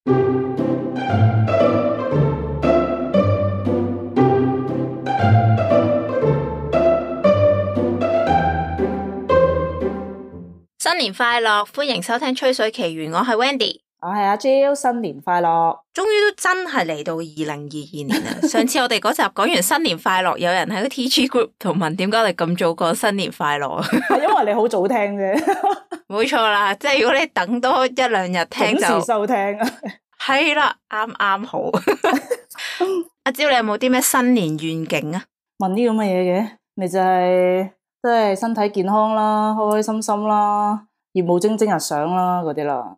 新年快樂，歡迎收聽《吹水奇緣》，我係 Wendy， 我係阿 Jill， 新年快樂！終於都真係嚟到2022年啦！上次我哋嗰集講完新年快樂，有人喺個 TG group 度問點解我哋咁早講新年快樂？係因為你好早聽啫，冇錯啦，即係如果你等多一兩日聽就準時收聽，係啦，啱好。阿 Jill，你有冇啲咩新年願景啊？問啲咁嘅嘢嘅，咪就係即係身體健康啦，開開心心啦，業務蒸蒸日上啦嗰啲啦。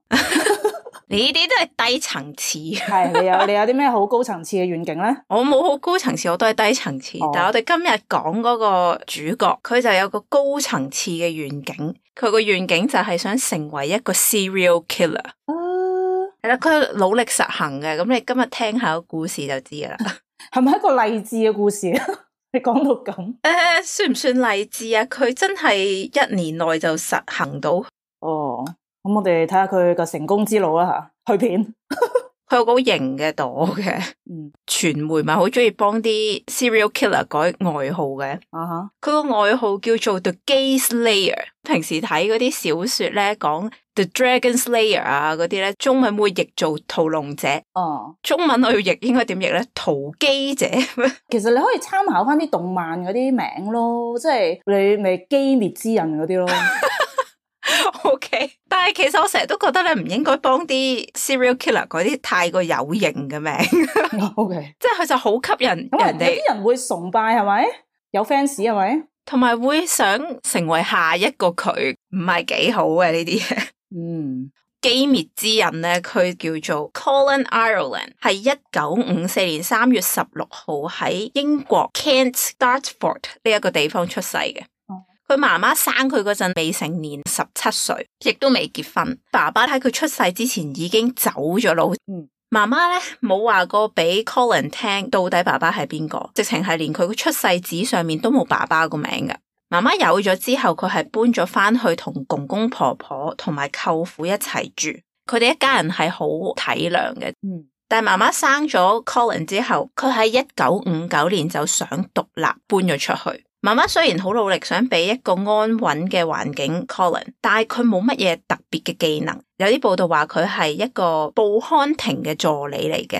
呢啲都係低層次。係你有啲咩好高層次嘅願景咧？我冇好高層次，我都係低層次。但係我哋今日講嗰個主角，佢就有個高層次嘅願景。佢個願景就係想成為一個 serial killer。係啦，佢努力實行嘅。咁你今日聽下個故事就知啦。係咪一個勵志嘅故事？你講到咁，算唔算勵志啊？佢真係1年內就實行到。哦，咁我哋睇下佢個成功之路啦吓，去片。佢有個好型嘅朵嘅，傳媒咪好中意幫啲 serial killer 改外號嘅。佢個外號叫做 The Gay Slayer。平時睇嗰啲小說咧，講 The Dragon Slayer 啊嗰啲咧，中文會譯做屠龍者。中文我要譯應該點譯咧？屠基者。其實你可以參考翻啲動漫嗰啲名咯，即係你咪機滅之刃嗰啲咯。OK， 但係其實我成日都覺得你唔應該幫啲 serial killer 嗰啲太過有型嘅名。OK， 即係佢就好吸引人哋。有啲人會崇拜係咪？有 fans 係咪？同埋會想成為下一個佢，唔係幾好嘅呢啲嘢。機滅之刃咧，佢叫做 Colin Ireland， 係1954年3月16號喺英國 Kent Dartford 呢一個地方出世嘅。佢媽媽生佢嗰陣未成年，17歲，亦都未結婚。爸爸喺佢出世之前已經走咗佬。媽媽咧冇話過俾 Colin 聽到底爸爸係邊個，直情係連佢個出世紙上面都冇爸爸個名㗎。媽媽有咗之後，佢係搬咗翻去同公公婆婆同埋舅父一齊住。佢哋一家人係好體諒嘅。但係媽媽生咗 Colin 之後，佢喺1959年就想獨立搬咗出去。媽媽雖然好努力想俾一個安穩嘅環境 Colin， 但係佢冇乜嘢特別嘅技能。有啲報道話佢係一個報刊亭嘅助理嚟嘅。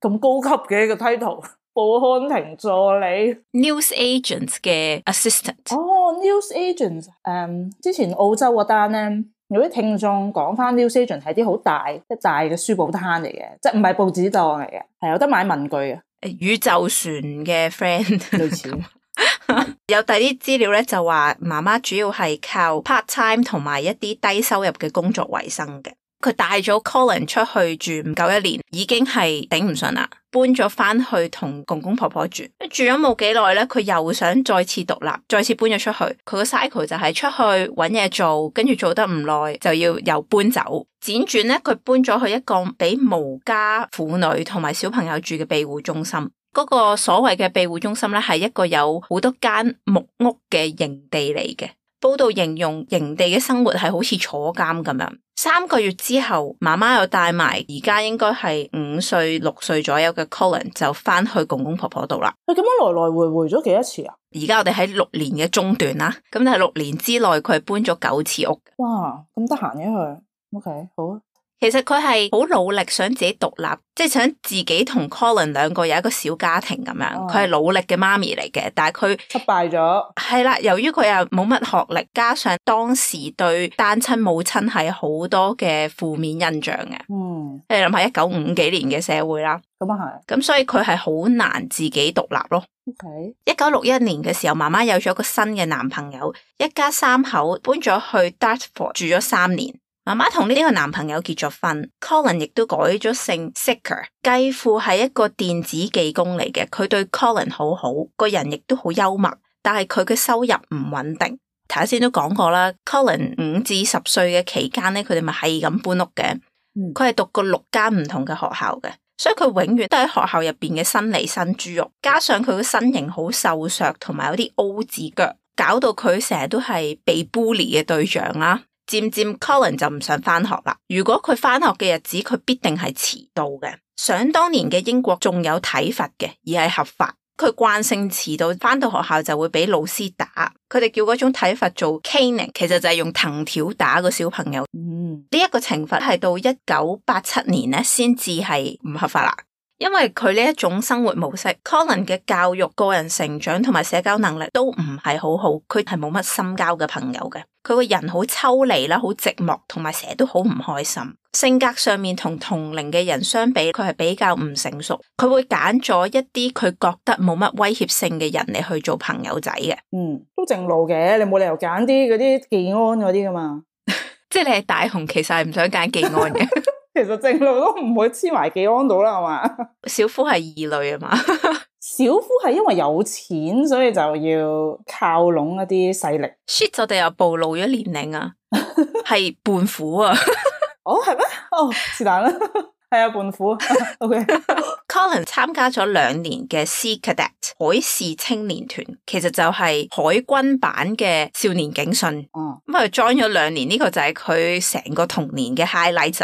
咁高級嘅一個 title， 報刊亭助理 News Agent 嘅 Assistant。News Agent， 之前澳洲嗰單咧，有啲聽眾講翻 News Agent 係啲好大一大嘅書報攤嚟嘅，即係唔係報紙檔嚟嘅，係有得買文具嘅。宇宙船嘅 friend 類似。有第啲資料咧就話媽媽主要係靠 part time 同埋一啲低收入嘅工作為生嘅。佢帶咗 Colin 出去住唔夠1年，已經係頂唔順啦，搬咗翻去同公公婆婆住。住咗冇幾耐咧，佢又想再次獨立，再次搬咗出去。佢個 cycle 就係出去搵嘢做，跟住做得唔耐就要又搬走。輾轉咧，佢搬咗去一個俾無家婦女同埋小朋友住嘅庇護中心。嗰個所謂嘅庇護中心咧，係一個有好多間木屋嘅營地嚟嘅。報道形容營地嘅生活係好似坐監咁樣。3個月之後，媽媽又帶埋而家應該係5歲6歲左右嘅 Colin 就翻去公公婆婆度啦。咁樣來來回回咗幾多次啊？而家我哋喺6年嘅中段啦，咁但係6年之內佢係搬咗9次屋。哇，咁得閒嘅佢。OK， 好啊。其實佢係好努力想自己獨立，即係想自己同 Colin 兩個有一個小家庭咁樣。佢係努力嘅媽咪嚟嘅，但係佢失敗咗。係啦，由於佢又冇乜學歷，加上當時對單親母親係好多嘅負面印象嘅。你諗下1950幾年嘅社會啦，咁啊係。咁所以佢係好難自己獨立咯。1961年嘅時候，媽媽有咗個新嘅男朋友，一家3口搬咗去 Dartford 住咗3年。媽媽同呢個男朋友結咗婚 ，Colin 亦都改咗姓 Sicker。繼父係一個電子技工嚟嘅，佢對 Colin 好好，個人亦都好幽默，但係佢嘅收入唔穩定。頭先都講過啦 ，Colin 5至10歲嘅期間咧，佢哋咪係咁搬屋嘅。佢係讀過6間唔同嘅學校嘅，所以佢永遠都喺學校入邊嘅新嚟新豬肉，加上佢個身形好瘦削，同埋有啲 O 字腳，搞到佢成日都係被 bully 嘅對象啦。漸漸 Colin 就唔想返學啦。如果佢返學嘅日子，佢必定係遲到嘅。想當年嘅英國仲有體罰嘅，而係合法。佢慣性遲到，返到學校就會俾老師打。佢哋叫嗰種體罰做 caning， 其實就係用藤條打個小朋友。呢一個懲罰係到1987年咧先至係唔合法啦。因為佢呢一種生活模式 ，Colin 嘅教育、個人成長同埋社交能力都唔係好好，佢係冇乜深交嘅朋友嘅。佢個人好抽離啦，好寂寞，同埋成日都好唔開心。性格上面同同齡嘅人相比，佢係比較唔成熟。佢會揀咗一啲佢覺得冇乜威脅性嘅人嚟去做朋友仔嘅。都正路嘅，你冇理由揀啲嗰啲技安嗰啲噶嘛。即係你係大雄，其實係唔想揀技安嘅。其實正路都唔會黐埋技安到啦，係嘛？小夫係異類啊嘛。小夫係因為有錢，所以就要靠攏一啲勢力。shit， 我哋又暴露咗年齡啊，係胖虎啊。哦，係咩？哦，是但啦。係啊，胖虎。OK。Colin 參加咗2年嘅 Sea Cadet 海事青年團，其實就係海軍版嘅少年警訊。咁佢 join 咗2年，呢個就係佢成個童年嘅 highlight。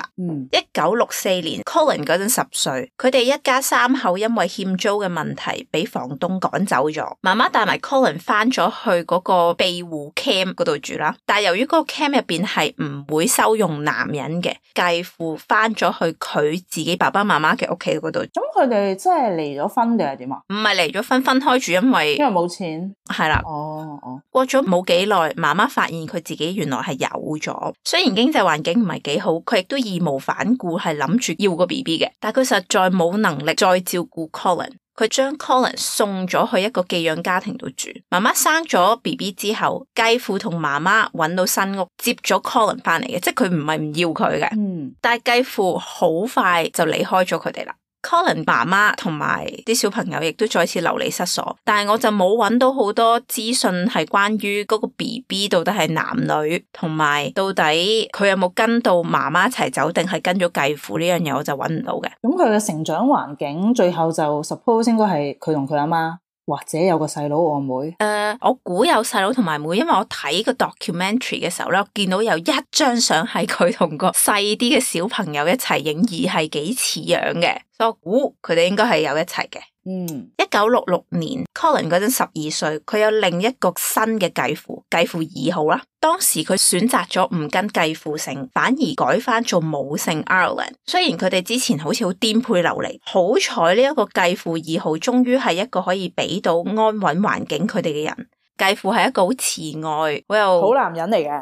1964年 ，Colin 嗰陣10歲，佢哋一家3口因為欠租嘅問題，俾房東趕走咗。媽媽帶埋 Colin 翻咗去嗰個庇護 camp 嗰度住啦，但係由於嗰個 camp 入邊係唔會收容男人嘅，繼父翻咗去佢自己爸爸媽媽嘅屋企嗰度。咁佢哋真係離咗婚定係點啊？唔係離咗婚，分開住，因為冇錢。係啦。過咗冇幾耐，媽媽發現佢自己原來係有咗。雖然經濟環境唔係幾好，佢亦都義無反顧係諗住要個 BB 嘅，但佢實在冇能力再照顧 Colin。佢將 Colin 送咗去一個寄養家庭度住。媽媽生咗 BB 之後，繼父同媽媽揾到新屋，接咗 Colin 翻嚟嘅，即係佢唔係唔要佢嘅。但係繼父好快就離開咗佢哋啦。Colin 媽媽同埋啲小朋友亦都再次流離失所，但係我就冇揾到好多資訊係關於嗰個 BB 到底係男女，同埋到底佢有冇跟到媽媽一齊走，定係跟咗繼父呢樣嘢，我就揾唔到嘅。咁佢嘅成長環境最後就 suppose 應該係佢同佢阿媽，或者有個細佬我妹。我估有細佬同埋妹，因為我睇個 documentary 嘅時候咧，我見到有一張相係佢同個細啲嘅小朋友一齊影，而係幾似樣嘅，所以我估佢哋應該係有一齊嘅。1966年 Colin 嗰陣12歲，佢有另一個新嘅繼父，繼父2號啦。當時佢選擇咗唔跟繼父姓，反而改翻做母姓 Ireland。雖然佢哋之前好似好顛沛流離，好彩呢一個繼父2號終於係一個可以俾到安穩環境佢哋嘅人。繼父係一個好慈愛、好男人嚟嘅。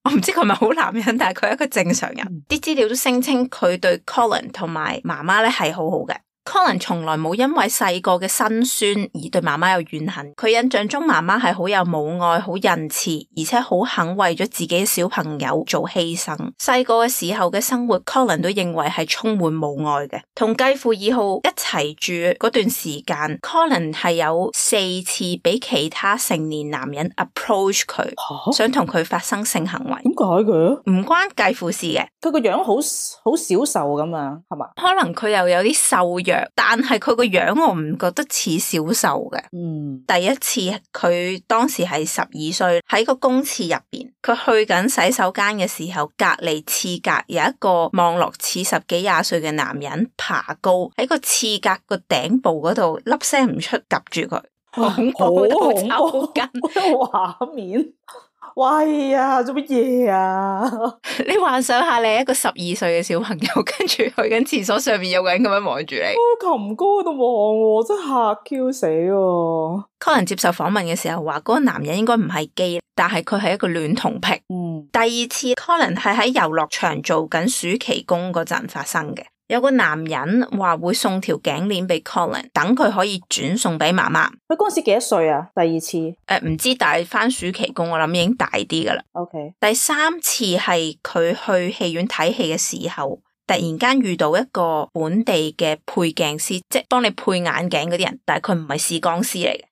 我唔知佢係咪好男人，但係佢係一個正常人。啲資料都聲稱佢對 Colin 同埋媽媽咧係好好嘅。Colin 從來冇因為細個嘅辛酸而對媽媽有怨恨，佢印象中媽媽係好有母愛、好仁慈，而且好肯為咗自己嘅小朋友做犧牲。細個嘅時候嘅生活 ，Colin 都認為係充滿母愛嘅。同繼父2號一齊住嗰段時間 ，Colin 係有4次俾其他成年男人 approach 佢，想同佢發生性行為。點解嘅？唔關繼父事嘅，佢個樣好小瘦咁樣，係嘛？可能佢又有啲瘦弱。但係佢個樣我唔覺得似小瘦嘅。第一次佢當時係12歲，喺個公廁入邊，佢去緊洗手間嘅時候，隔籬廁格有一個望落似10幾20歲嘅男人爬高喺個廁格個頂部嗰度，粒聲唔出，夾住佢，好恐怖，抽筋畫面。喂呀，做乜嘢啊？你幻想下，你係一個12歲嘅小朋友，跟住去緊廁所上面有個人咁樣望住你，擒高喺度望，真係嚇 Q 死喎。Colin 接受訪問嘅時候話，嗰個男人應該唔係基，但係佢係一個戀童癖。第二次 Colin 係喺遊樂場做緊暑期工嗰陣發生嘅。有個男人話會送條頸鏈俾 Colin， 等佢可以轉送俾媽媽。佢嗰陣時幾多歲啊？第2次唔知，但係翻暑期工，我諗已經大啲噶啦。OK。第3次係佢去戲院睇戲嘅時候，突然間遇到一個本地嘅配鏡師，即係幫你配眼鏡嗰啲人，但係佢唔係視光師嚟嘅。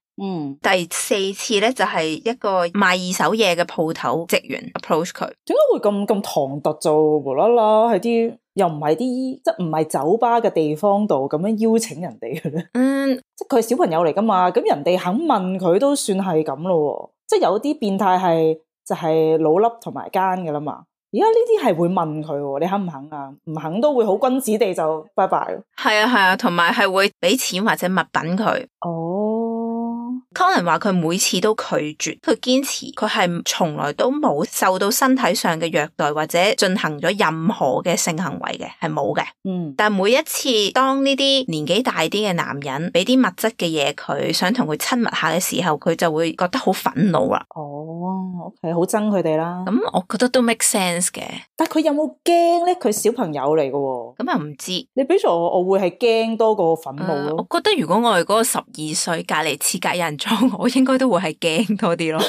第4次咧就係一個賣2手嘢嘅鋪頭職員 approach 佢。點解會咁唐突就無啦啦喺啲又唔係啲即係唔係酒吧嘅地方度咁樣邀請人哋嘅咧？即係佢係小朋友嚟噶嘛，咁人哋肯問佢都算係咁咯。即係有啲變態係就係老粒同埋奸噶啦嘛。而家呢啲係會問佢，你肯唔肯啊？唔肯都會好君子地就拜拜。係啊，同埋係會俾錢或者物品佢。Colin 話佢每次都拒絕，佢堅持佢係從來都冇受到身體上嘅虐待或者進行咗任何嘅性行為嘅，係冇嘅。但係每一次當呢啲年紀大啲嘅男人俾啲物質嘅嘢佢，想同佢親密下嘅時候，佢就會覺得好憤怒啦。OK， 好憎佢哋啦。咁我覺得都 make sense 嘅。但佢有冇驚咧？佢小朋友嚟嘅喎。咁又唔知。你比如我會係驚多過憤怒咯。我覺得如果我係嗰個12歲隔離廁格有人撞我，應該都會係驚多啲咯。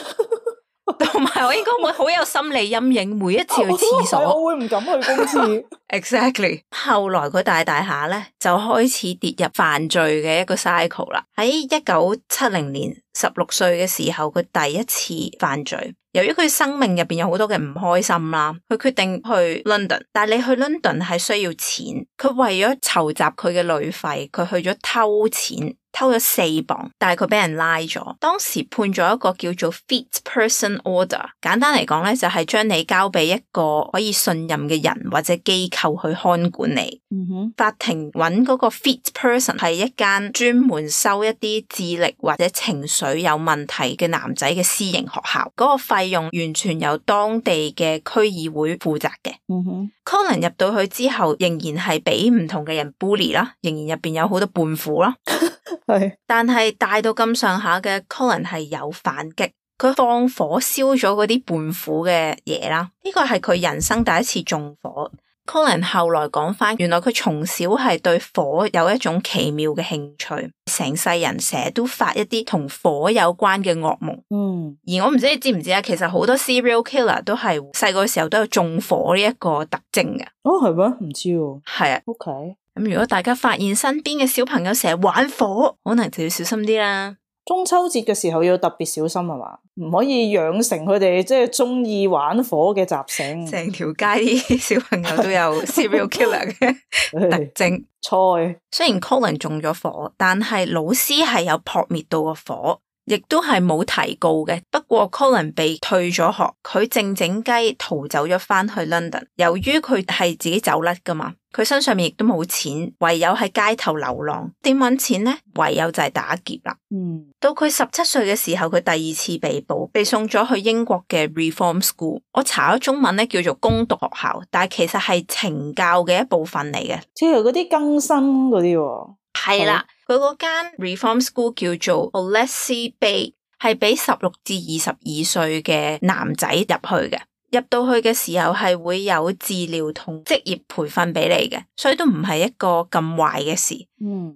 同埋我應該會好有心理陰影，每一次去廁所我會唔敢去公廁。Exactly。後來佢大下咧就開始跌入犯罪嘅一個 cycle 啦。喺1970年16歲嘅時候，佢第一次犯罪。由於佢生命入邊有好多嘅唔開心啦，佢決定去 London。但係你去 London 係需要錢，佢為咗籌集佢嘅旅費，佢去咗偷錢。偷咗4磅，但係佢俾人拉咗。當時判咗一個叫做 Fit Person Order， 簡單嚟講咧就係將你交俾一個可以信任嘅人或者機構去看管你。法庭揾嗰個 Fit Person 係一間專門收一啲智力或者情緒有問題嘅男仔嘅私營學校，嗰個費用完全由當地嘅區議會負責嘅。Colin 入到去之後，仍然係俾唔同嘅人 bully 啦，仍然入邊有好多叛婦啦。但係大到咁上下嘅 Colin 係有反擊，佢放火燒咗嗰啲叛婦嘅嘢啦。呢個係佢人生第一次縱火。Colin 後來講翻，原來佢從小係對火有一種奇妙嘅興趣，成世人成日都發一啲同火有關嘅噩夢。而我唔知你知唔知啊？其實好多 serial killer 都係細個嘅時候都有縱火呢一個特徵嘅。係咩？唔知喎。係啊。OK。咁如果大家發現身邊嘅小朋友成日玩火，可能就要小心啲啦。中秋節嘅時候要特別小心係嘛？唔可以養成佢哋即係中意玩火嘅習性。成條街啲小朋友都有 serial killer 嘅特徵。雖然 Colin 中咗火，但係老師係有撲滅到個火，亦都係冇提告嘅。不過 Colin 被退咗學，佢靜雞逃走咗翻去 London。由於佢係自己走甩噶嘛，佢身上面亦都冇錢，唯有喺街頭流浪。點搵錢呢？唯有就係打劫啦。到佢17歲嘅時候，佢第2次被捕，被送咗去英國嘅 Reform School。我查咗中文咧，叫做攻讀學校，但係其實係懲教嘅一部分嚟嘅，即係嗰啲更新嗰啲。係啦，佢嗰間 Reform School 叫做 Hollesey Bay， 係俾16至22歲嘅男仔入去嘅。入到去嘅時候係會有治療同職業培訓俾你嘅，所以都唔係一個咁壞嘅事。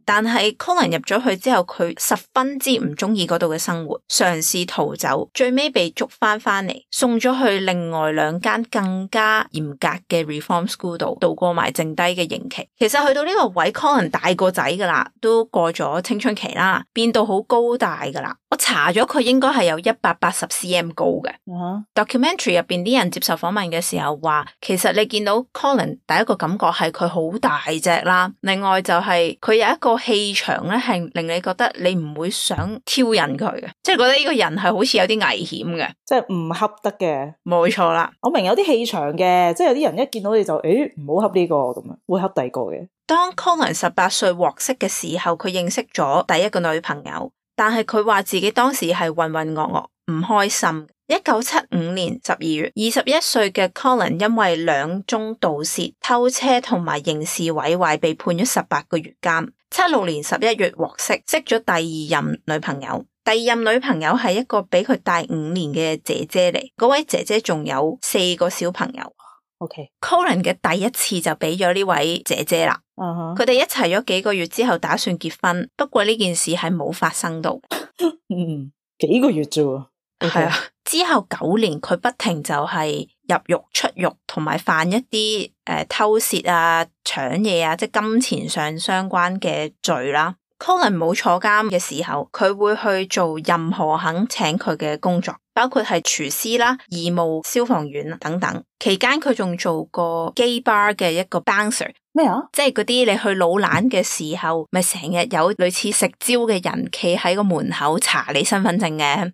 但係 Colin 入咗去之後，佢十分之唔中意嗰度嘅生活，嘗試逃走，最尾被捉翻嚟，送咗去另外2間更加嚴格嘅 Reform School 度度過埋剩低嘅刑期。其實去到呢個位 Colin 大個仔噶啦，都過咗青春期啦，變到好高大噶啦。我查咗佢應該係有180 cm 高嘅。Documentary 入邊啲人接受訪問嘅時候話，其實你見到 Colin 第一個感覺係佢好大隻啦，另外就係佢有一個氣場咧，係令你覺得你唔會想挑釁佢嘅，即係覺得呢個人係好似有啲危險嘅，即係唔恰得嘅。冇錯啦，我明有啲氣場嘅，即係有啲人一見到你就唔好恰呢個咁樣，會恰第二個嘅。當 Colin 18歲獲釋嘅時候，佢認識咗第一個女朋友，但係佢話自己當時係渾渾噩噩，唔開心。1975年12月，21歲嘅 Colin 因為2宗盜竊、偷車同埋刑事毀壞被判咗18個月監。76年11月獲釋，識咗第2任女朋友。第2任女朋友係一個比佢大5年嘅姐姐嚟，嗰位姐姐仲有4個小朋友。Colin 嘅第一次就俾咗呢位姐姐啦。佢哋一齊咗幾個月之後打算結婚，不過呢件事係冇發生到。幾個月啫。係啊，之後9年佢不停就係入獄出獄，同埋犯一啲偷竊啊、搶嘢啊，即係金錢上相關嘅罪啦。Colin 冇坐監嘅時候，佢會去做任何肯請佢嘅工作，包括係廚師啦、義務消防員等等。期間佢仲做過 gay bar 嘅一個 bouncer。咩啊？即係嗰啲你去老懶嘅時候，咪成日有類似食蕉嘅人企喺個門口查你身份證嘅。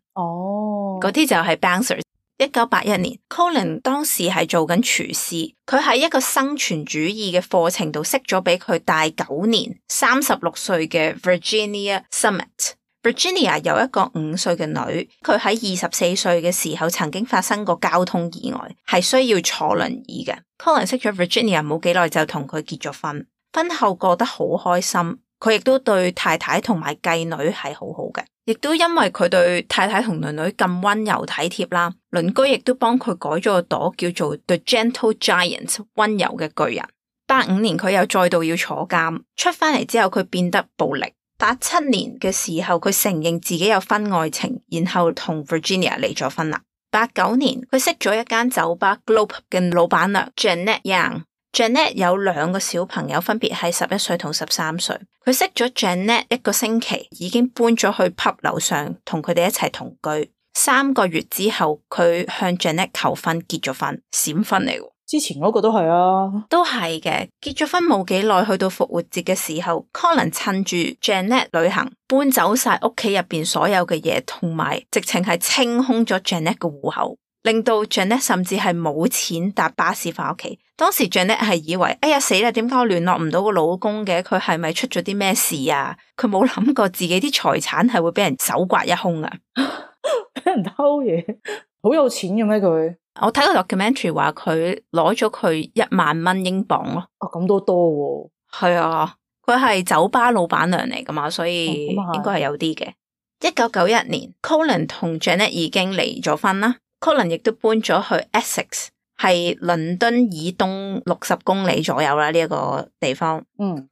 嗰啲就係 bouncer。1981年 Colin 當時係做緊廚師，佢喺一個生存主義嘅課程度識咗比佢大9年36歲嘅 Virginia Summit。Virginia 有一個5歲嘅女，佢喺24歲嘅時候曾經發生過交通意外，係需要坐輪椅嘅。Colin 識咗 Virginia 冇幾耐就同佢結咗婚，婚後過得好開心，佢亦都對太太同埋繼女係好好嘅。亦都因為佢對太太同女女咁溫柔體貼啦，鄰居亦都幫佢改咗個朵叫做 The Gentle Giant 溫柔嘅巨人。85年佢又再度要坐監，出翻嚟之後佢變得暴力。87年嘅時候佢承認自己有婚外情，然後同 Virginia 離咗婚啦。89年佢識咗一間酒吧 Globe 嘅老闆娘 Janet Young。Janet 有2個小朋友，分別係11歲同13歲。佢識咗 Janet 1個星期，已經搬咗去 pub 樓上，同佢哋一齊同居。3個月之後，佢向 Janet 求婚，結咗婚，閃婚嚟喎。之前嗰個都係啊，都係嘅。結咗婚冇幾耐，去到復活節嘅時候 ，Colin 趁住 Janet 旅行，搬走晒屋企入邊所有嘅嘢，同埋直情係清空咗 Janet 嘅戶口。令到 Janet 甚至係冇錢搭巴士翻屋企。當時 Janet 係以為，哎呀死啦，點解我聯絡唔到個老公嘅？佢係咪出咗啲咩事啊？佢冇諗過自己啲財產係會俾人搜刮一空啊！俾人偷嘢，好有錢嘅咩佢？我睇個 documentary 話佢攞咗佢1萬蚊英鎊咯。哦，咁都多喎。係啊，佢係酒吧老闆娘嚟噶嘛，所以應該係有啲嘅。1991年 Colin 同 Janet 已經離咗婚啦。Colin 亦都搬咗去 Essex， 係倫敦以東60公里左右啦，呢一個地方。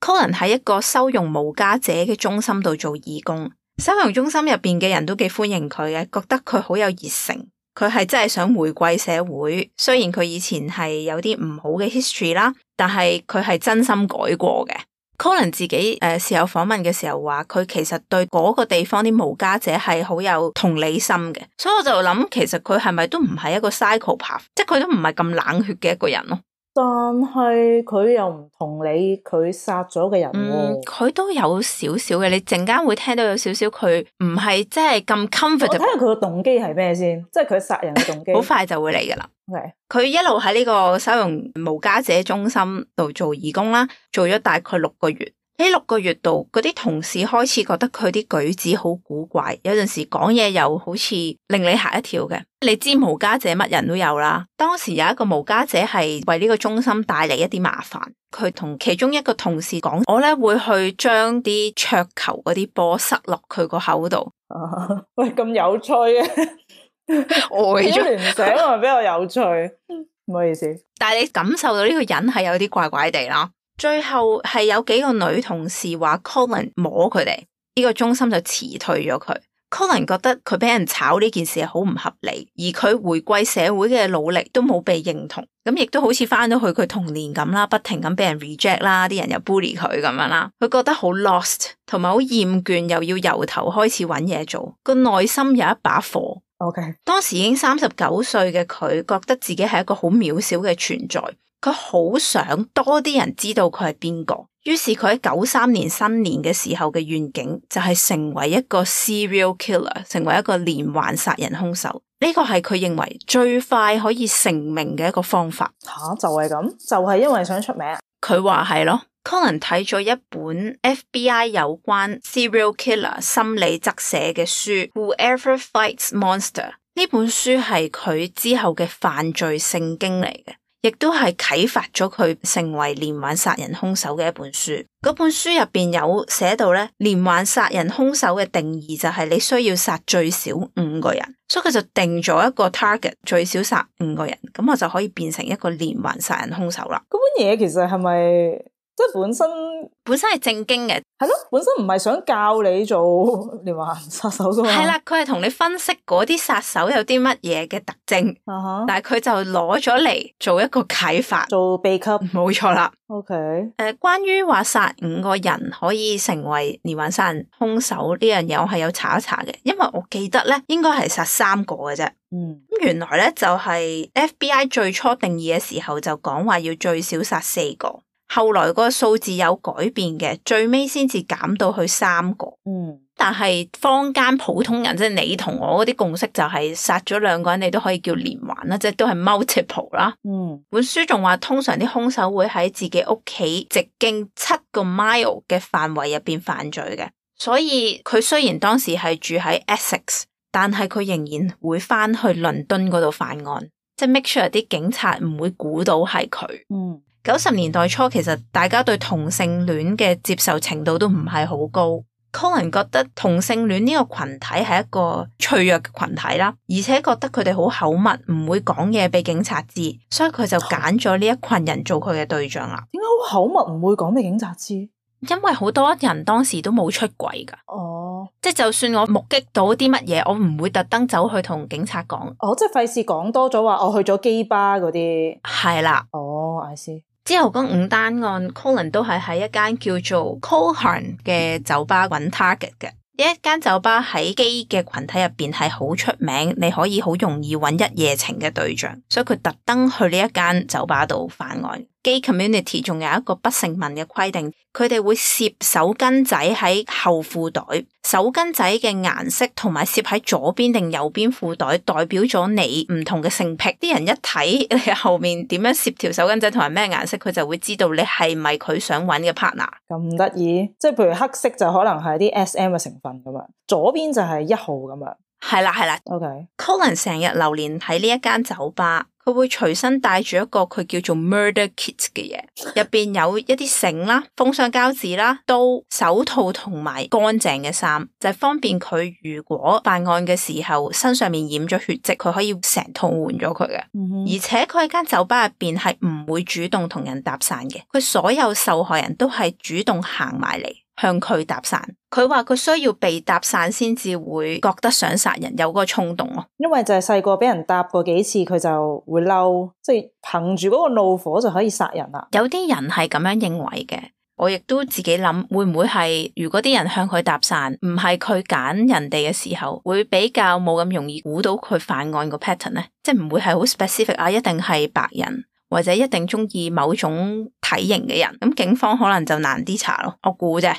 Colin 喺一個收容無家者嘅中心度做義工，收容中心入邊嘅人都幾歡迎佢嘅，覺得佢好有熱誠，佢係真係想回歸社會。雖然佢以前係有啲唔好嘅 history 啦，但係佢係真心改過嘅。Colin 自己事後訪問嘅時候話，佢其實對嗰個地方啲無家者係好有同理心嘅，所以我就諗其實佢係咪都唔係一個 psychopath， 即係佢都唔係咁冷血嘅一個人咯。但係佢又唔同理佢殺咗嘅人喎。佢都有少少嘅，你陣間會聽到有少少佢唔係即係咁 comfortable。我睇下佢個動機係咩先，即係佢殺人嘅動機。好快就會嚟噶啦。佢 Okay. 一路喺呢個收容無家者中心度做義工啦，做咗大概6個月。喺6個月度，嗰啲同事開始覺得佢啲舉止好古怪，有陣時講嘢又好似令你嚇一跳嘅。你知無家者乜人都有啦。當時有一個無家者係為呢個中心帶嚟一啲麻煩，佢同其中一個同事講：我咧會去將啲桌球嗰啲波塞落佢個口度。喂，咁有趣嘅，呆咗聯想係比較有趣，唔好意思。但係你感受到呢個人係有啲怪怪地啦。最後係有幾個女同事話 Colin 摸佢哋，呢個中心就辭退咗佢。Colin 覺得佢俾人炒呢件事係好唔合理，而佢回歸社會嘅努力都冇被認同，咁亦都好似翻到去佢童年咁啦，不停咁俾人 reject 啦，啲人又 bully 佢咁樣啦，佢覺得好 lost， 同埋好厭倦，又要由頭開始揾嘢做，個內心有一把火。Okay. 當時已經39歲嘅佢，覺得自己係一個好渺小嘅存在。佢好想多啲人知道佢係邊個，於是佢喺93年新年嘅時候嘅願景就係成為一個 serial killer， 成為一個連環殺人兇手。呢個係佢認為最快可以成名嘅一個方法。就係咁，就係因為想出名。佢話係咯。Colin 睇咗一本 FBI 有關 serial killer 心理側寫嘅書 Whoever Fights Monster， 呢本書係佢之後嘅犯罪聖經嚟嘅，亦都係啟發咗佢成為連環殺人兇手嘅一本書。嗰本書入邊有寫到咧，連環殺人兇手嘅定義就係你需要殺最少5個人，所以佢就定咗一個 target， 最少殺5個人，咁我就可以變成一個連環殺人兇手啦。嗰本嘢其實係咪？即係本身係正經嘅，係咯，本身唔係想教你做連環殺手噶嘛。係啦，佢係同你分析嗰啲殺手有啲乜嘢嘅特徵，但係佢就攞咗嚟做一個啟發，做秘笈，冇錯啦。OK，關於話殺5個人可以成為連環殺人兇手呢樣嘢，我係有查一查嘅，因為我記得咧應該係殺3個嘅啫。咁原來咧就係 FBI 最初定義嘅時候就講話要最少殺4個。後來個數字有改變嘅，最尾先至減到去3個。但係坊間普通人即係你同我嗰啲共識就係殺咗兩個人你都可以叫連環啦，即係都係 multiple 啦。本書仲話通常啲兇手會喺自己屋企直徑7個 mile 嘅範圍入邊犯罪嘅，所以佢雖然當時係住喺 Essex， 但係佢仍然會翻去倫敦嗰度犯案，即係 make sure 啲警察唔會估到係佢。90年代初其實大家對同性戀嘅接受程度都唔係好高。Colin 覺得同性戀呢個群體係一個脆弱嘅群體啦，而且覺得佢哋好口密，唔會講嘢俾警察知，所以佢就揀咗呢一群人做佢嘅對象啦。點解好口密唔會講俾警察知？因為好多人當時都冇出櫃噶。即係就算我目擊到啲乜嘢，我唔會特登走去同警察講。即係費事講多咗話我去咗基吧嗰啲。係啦。I see。之後嗰5單案 Colin 都係喺一間叫做 Coulthard 嘅酒吧揾 target 嘅。呢一間酒吧喺基嘅群體入邊係好出名，你可以好容易揾一夜情嘅對象，所以佢特登去呢一間酒吧度犯案。Gay community 仲有一個不成文嘅規定，佢哋會攝手巾仔喺後褲袋，手巾仔嘅顏色同埋攝喺左邊定右邊褲袋，代表咗你唔同嘅性癖。啲人一睇你後面點樣攝條手巾仔同埋咩顏色，佢就會知道你係咪佢想揾嘅 partner。咁得意，即係譬如黑色就可能係啲 SM 嘅成分咁樣，左邊就係1號咁樣。係啦。OK。Colin 成日流連喺呢一間酒吧。佢會隨身帶住一個佢叫做 murder kit 嘅嘢，入邊有一啲繩啦、封箱膠紙啦、刀、手套同埋乾淨嘅衫，就係方便佢如果犯案嘅時候身上面染咗血跡，佢可以成套換咗佢嘅。而且佢喺間酒吧入邊係唔會主動同人搭訕嘅，佢所有受害人都係主動行埋嚟向佢搭訕。佢話佢需要被搭訕先至會覺得想殺人，有嗰個衝動咯。因為就係細個俾人搭過幾次，佢就會嬲，即係憑住嗰個怒火就可以殺人啦。有啲人係咁樣認為嘅，我亦都自己諗，會唔會係如果啲人向佢搭訕，唔係佢揀人哋嘅時候，會比較冇咁容易估到佢犯案個 pattern 呢？即係唔會係好 specific 啊，一定係白人或者一定中意某種體型嘅人，咁警方可能就難啲查咯。我估啫。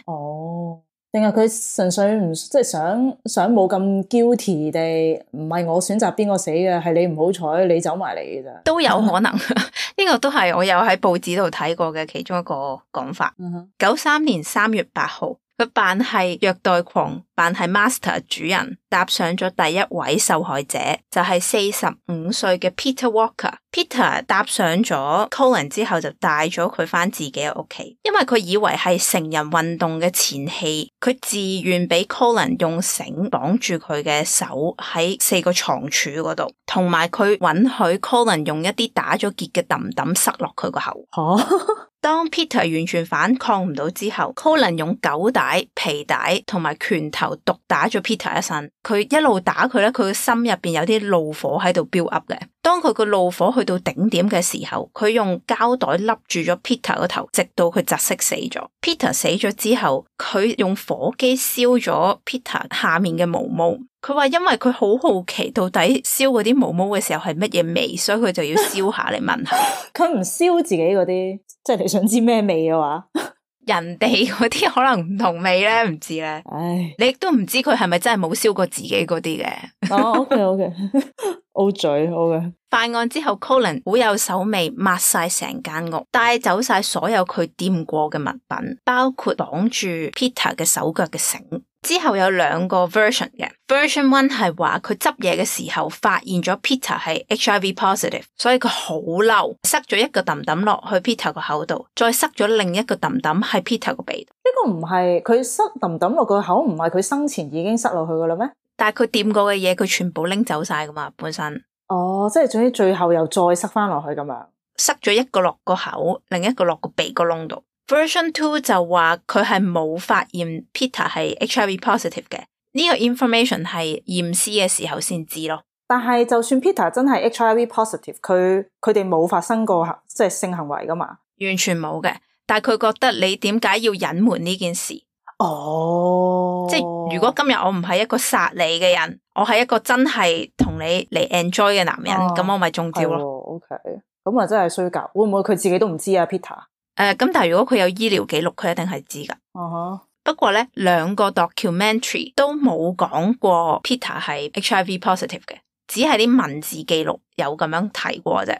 定係佢純粹唔即係想冇咁 guilty 地，唔係我選擇邊個死嘅，係你唔好彩，你走埋嚟嘅咋？都有可能，呢個都係我有喺報紙度睇過嘅其中一個講法。93年3月8號。佢扮係虐待狂，扮係 master 主人，搭上咗第一位受害者，就係45歲嘅 Peter Walker。Peter 搭上咗 Colin 之後，就帶咗佢返自己嘅屋企，因為佢以為係成人運動嘅前戲，佢自願俾 Colin 用繩綁住佢嘅手喺4個床柱嗰度，同埋佢允許 Colin 用一啲打咗結嘅揼揼塞落佢個口。當 Peter 完全反抗唔到之後 Colin 用狗帶、皮帶同埋拳頭毒打咗 Peter 一身。佢一路打佢咧，佢個心入邊有啲怒火喺度 build up 嘅。當佢個怒火去到頂點嘅時候，佢用膠袋笠住咗 Peter 個頭，直到佢窒息死咗。Peter 死咗之後，佢用火機燒咗 Peter 下面嘅毛毛。佢話因為佢好好奇到底燒嗰啲毛毛嘅時候係乜嘢味，所以佢就要燒下嚟聞下。佢唔燒自己嗰啲，即係你想知咩味嘅話，人哋嗰啲可能唔同味咧，唔知咧。唉，你亦都唔知佢係咪真係冇燒過自己嗰啲嘅。OK， O 嘴 OK。犯案之後 Colin 好有手尾，抹晒成間屋，帶走晒所有佢掂過嘅物品，包括綁住 Peter 嘅手腳嘅繩。之後有2個 version 嘅 ，version 1係話佢執嘢嘅時候發現咗 Peter 係 HIV positive， 所以佢好嬲，塞咗一個揼揼落去 Peter 個口度，再塞咗另一個揼揼喺 Peter 個鼻度。呢個唔係佢塞揼揼落個口，唔係佢生前已經塞落去噶啦咩？但係佢掂過嘅嘢，佢全部拎走晒噶嘛，本身。即係總之最後又再塞翻落去咁樣，塞咗一個落個口，另一個落個鼻個窿度。Version 2就話佢係冇發現 Peter 係 HIV positive 嘅，呢個 information 係驗屍嘅時候先知咯。但係就算 Peter 真係 HIV positive， 佢哋冇發生過即係性行為噶嘛？完全冇嘅，但係佢覺得你點解要隱瞞呢件事？即係如果今日我唔係一個殺你嘅人，我係一個真係同你嚟 enjoy 嘅男人，咁我咪中招咯。OK， 咁啊真係衰格，會唔會佢自己都唔知啊 Peter？咁但係如果佢有醫療記錄，佢一定係知噶。不過咧，兩個 documentary 都冇講過 Peter 係 HIV positive 嘅，只係啲文字記錄有咁樣提過啫。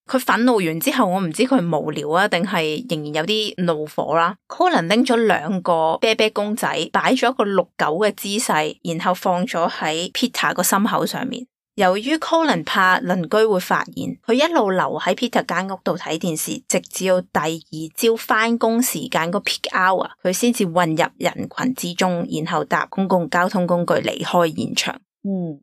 佢憤怒完之後，我唔知佢無聊啊，定係仍然有啲怒火啦。Colin 拎咗兩個啤啤公仔，擺咗個6-9嘅姿勢，然後放咗喺 Peter 個心口上面。由於 Colin 怕鄰居會發現，佢一路留喺 Peter 間屋度睇電視，直至到第二朝返工時間個 peak hour， 佢先至混入人群之中，然後搭公共交通工具離開現場。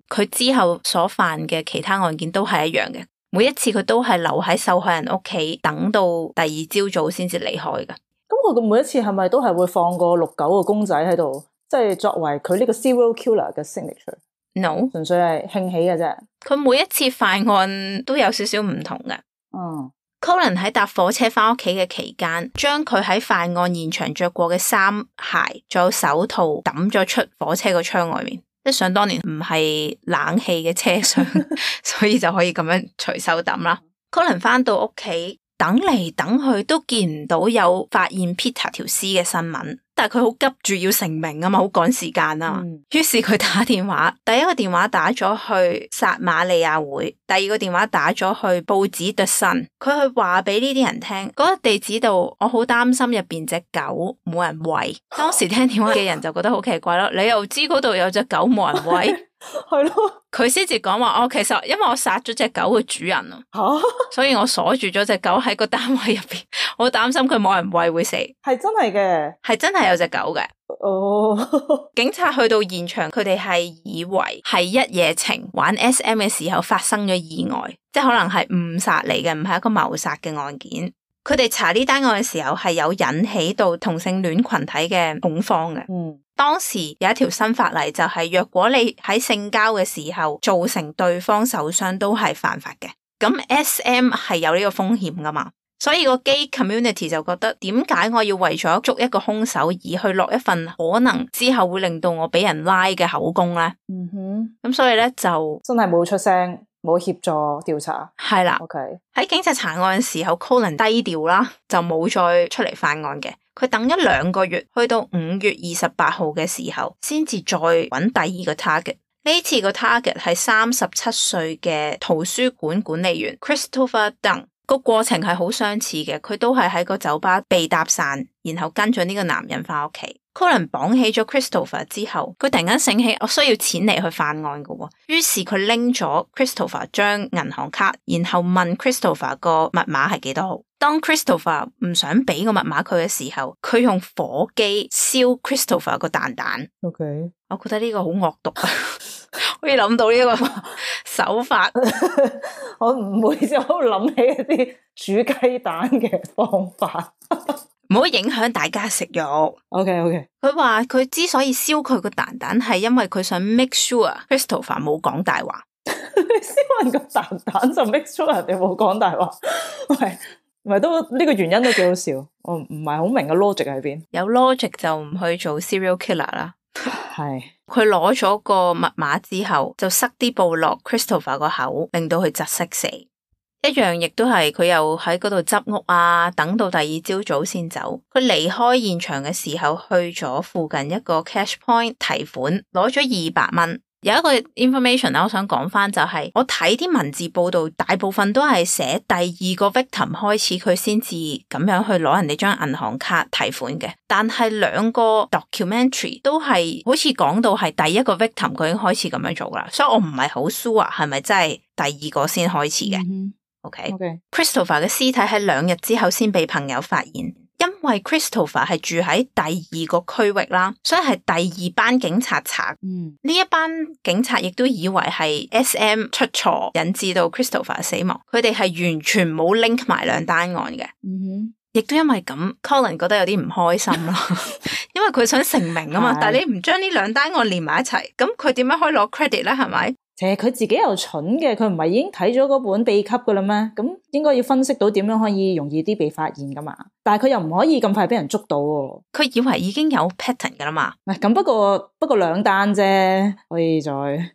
佢之後所犯嘅其他案件都係一樣嘅，每一次佢都係留喺受害人屋企，等到第二朝早先至離開㗎。咁佢每一次係咪都係會放個6-9個公仔喺度，即係作為佢呢個 serial killer 嘅 signature？No， 純粹係興起嘅啫。佢每一次犯案都有少少唔同嘅。Colin 喺搭火車翻屋企嘅期間，將佢喺犯案現場着過嘅衫、鞋，仲有手套抌咗出火車個窗外面。即係想當年唔係冷氣嘅車廂，所以就可以咁樣隨手抌啦。Colin 翻到屋企，等嚟等去都見唔到有發現 Peter 條屍嘅新聞。但係佢好急住要成名啊嘛，好趕時間啊。於是佢打電話，第一個電話打咗去撒瑪利亞會，第二個電話打咗去報紙 The Sun。佢去話俾呢啲人聽，嗰個地址度我好擔心入邊隻狗冇人餵。當時聽電話嘅人就覺得好奇怪咯，你又知嗰度有隻狗冇人餵？係咯，佢先至講話，其實因為我殺咗隻狗嘅主人啊，所以我鎖住咗隻狗喺個單位入邊，我擔心佢冇人餵會死。係真係嘅，係真係有隻狗嘅。警察去到現場，佢哋係以為係一夜情玩 SM 嘅時候發生咗意外，即係可能係誤殺嚟嘅，唔係一個謀殺嘅案件。佢哋查呢單案嘅時候係有引起到同性戀群體嘅恐慌嘅。當時有一條新法例就係，若果你喺性交嘅時候造成對方受傷都係犯法嘅。咁 SM 係有呢個風險噶嘛，所以個 gay community 就覺得，點解我要為咗捉一個兇手而去落一份可能之後會令到我俾人拉嘅口供咧？咁所以咧就真係冇出聲，冇協助調查。係啦。喺警察查案嘅時候 Colin 低調啦，就冇再出嚟犯案嘅。佢等咗2個月，去到5月28號嘅時候，先至再揾第二個 target。呢次個 target 係37歲嘅圖書館管理員 Christopher Dunn。個過程係好相似嘅，佢都係喺個酒吧被搭訕，然後跟咗呢個男人翻屋企。Colin 綁起咗 Christopher 之後，佢突然間醒起我需要錢嚟去犯案嘅，於是佢拎咗 Christopher 張銀行卡，然後問 Christopher 個密碼係幾多號。當 Christopher 唔想俾個密碼佢嘅時候，佢用火機燒 Christopher 個蛋蛋。我覺得呢個好惡毒啊！可以諗到呢個手法，我唔會就諗起一啲煮雞蛋嘅方法。唔好影響大家食肉。OK。佢話佢之所以燒佢個蛋蛋，係因為佢想 make sure Christopher 冇講大話。燒人個蛋蛋就 make sure 人哋冇講大話，唔係都呢個原因都幾好笑。我唔係好明個 logic 喺邊。有 logic 就唔去做 serial killer 啦。係。佢攞咗個密碼之後，就塞啲布落 Christopher 個口，令到佢窒息死。一樣亦都係佢又喺嗰度執屋啊，等到第二朝早先走。佢離開現場嘅時候，去咗附近一個 cash point 提款，攞咗200蚊。有一個 information 我想講翻就係，我睇啲文字報道，大部分都係寫第二個 victim 開始佢先至咁樣去攞人哋張銀行卡提款嘅，但係2個 documentary 都係好似講到係第一個 victim 佢已經開始咁樣做啦，所以我唔係好 sure 係咪真係第二個先開始嘅。Christopher 嘅屍體喺2日之後先被朋友發現，因為 Christopher 係住喺第二個區域啦，所以係第2班警察查。呢一班警察亦都以為係 SM 出錯引致到 Christopher 死亡，佢哋係完全冇 link 埋2單案嘅。亦都因為咁 Colin 覺得有啲唔開心啦，因為佢想成名啊嘛，但係你唔將呢2單案連埋一齊，咁佢點樣可以攞 credit 咧？係咪？其實佢自己又蠢嘅，佢唔係已經睇咗嗰本秘笈噶啦咩？咁應該要分析到點樣可以容易啲被發現噶嘛？但係佢又唔可以咁快俾人捉到喎。佢以為已經有 pattern 噶啦嘛？咁不過2單啫，可以再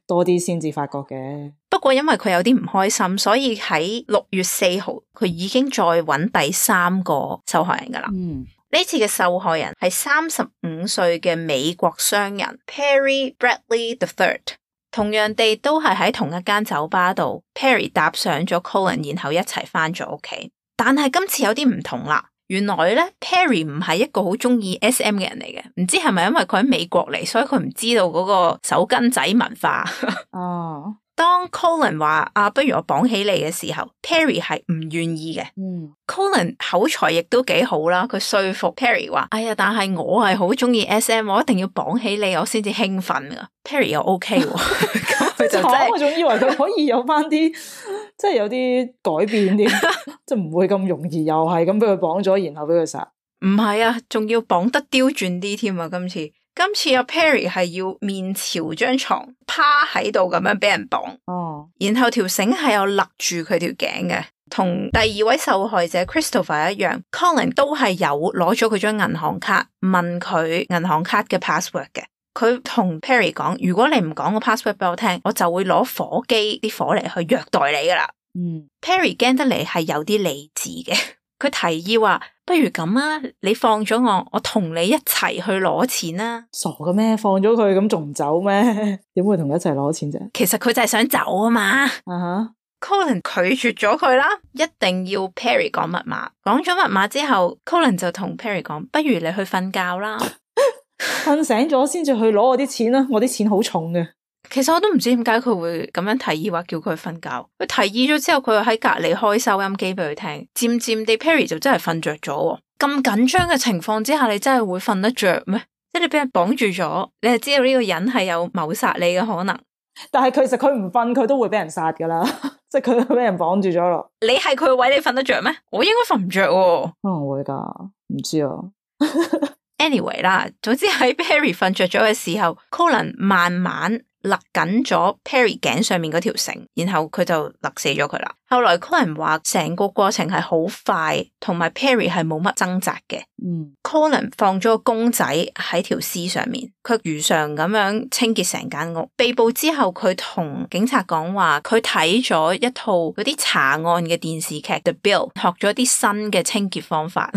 多啲先至發覺嘅。不過因為佢有啲唔開心，所以喺6月4號佢已經再揾第3個受害人噶啦。呢次嘅受害人係35歲嘅美國商人 Perry Bradley III， 同樣地都係喺同一間酒吧度 Perry 搭上咗 Colin， 然後一齊返咗屋企。但係今次有啲唔同啦，原來咧 Perry 唔係一個好中意 SM 嘅人嚟嘅，唔知係咪因為佢喺美國嚟，所以佢唔知道嗰個手巾仔文化。哦。當 Colin 話不如我綁起你嘅時候 ，Perry 係唔願意嘅。Colin 口才亦都幾好啦，佢說服 Perry 話：哎呀，但係我係好中意 SM， 我一定要綁起你，我先至興奮噶。Perry 又 OK 喎，咁佢就真係，我仲以為佢可以有翻啲，即係有啲改變啲，即係唔會咁容易又係咁俾佢綁咗，然後俾佢殺。唔係啊，仲要綁得刁鑽啲添啊！今次阿 Perry 係要面朝張床趴喺度咁樣俾人綁，然後條繩係有勒住佢條頸嘅，同第二位受害者 Christopher 一樣 ，Colin 都係有攞咗佢張銀行卡，問佢銀行卡嘅 password 嘅。佢同 Perry 講：如果你唔講個 password 俾我聽，我就會攞火機啲火嚟去虐待你噶啦。Perry 驚得嚟係有啲理智嘅。佢提議話：不如咁啊，你放咗我同你一齊去攞錢啦。傻嘅咩？放咗佢咁仲唔走咩？點會同佢一齊攞錢啫？其實佢就係想走啊嘛。Colin 拒絕咗佢啦，一定要 Perry 講密碼。講咗密碼之後 ，Colin 就同 Perry 講：不如你去瞓覺啦，瞓醒咗先至去攞我啲錢啦。我啲錢好重嘅。其實我都唔知點解佢會咁樣提議話叫佢瞓覺。佢提議咗之後，佢又喺隔籬開收音機俾佢聽。漸漸地 Perry 就真係瞓着咗。咁緊張嘅情況之下，你真係會瞓得着咩？即係你俾人綁住咗，你係知道呢個人係有謀殺你嘅可能。但係其實佢唔瞓，佢都會俾人殺噶啦。即係佢俾人綁住咗咯。你係佢嘅位，你瞓得着咩？我應該瞓唔着。可能會噶，唔知啊。Anyway 啦，總之喺 Perry 瞓着咗嘅時候 ，Colin 慢慢勒緊咗 Perry 頸上面嗰條繩，然後佢就勒死咗佢啦。後來 Colin 話成個過程係好快，同埋 Perry 係冇乜掙扎嘅。Colin 放咗個公仔喺條屍上面，佢如常咁樣清潔成間屋。被捕之後，佢同警察講話，佢睇咗一套嗰啲查案嘅電視劇 The Bill， 學咗啲新嘅清潔方法，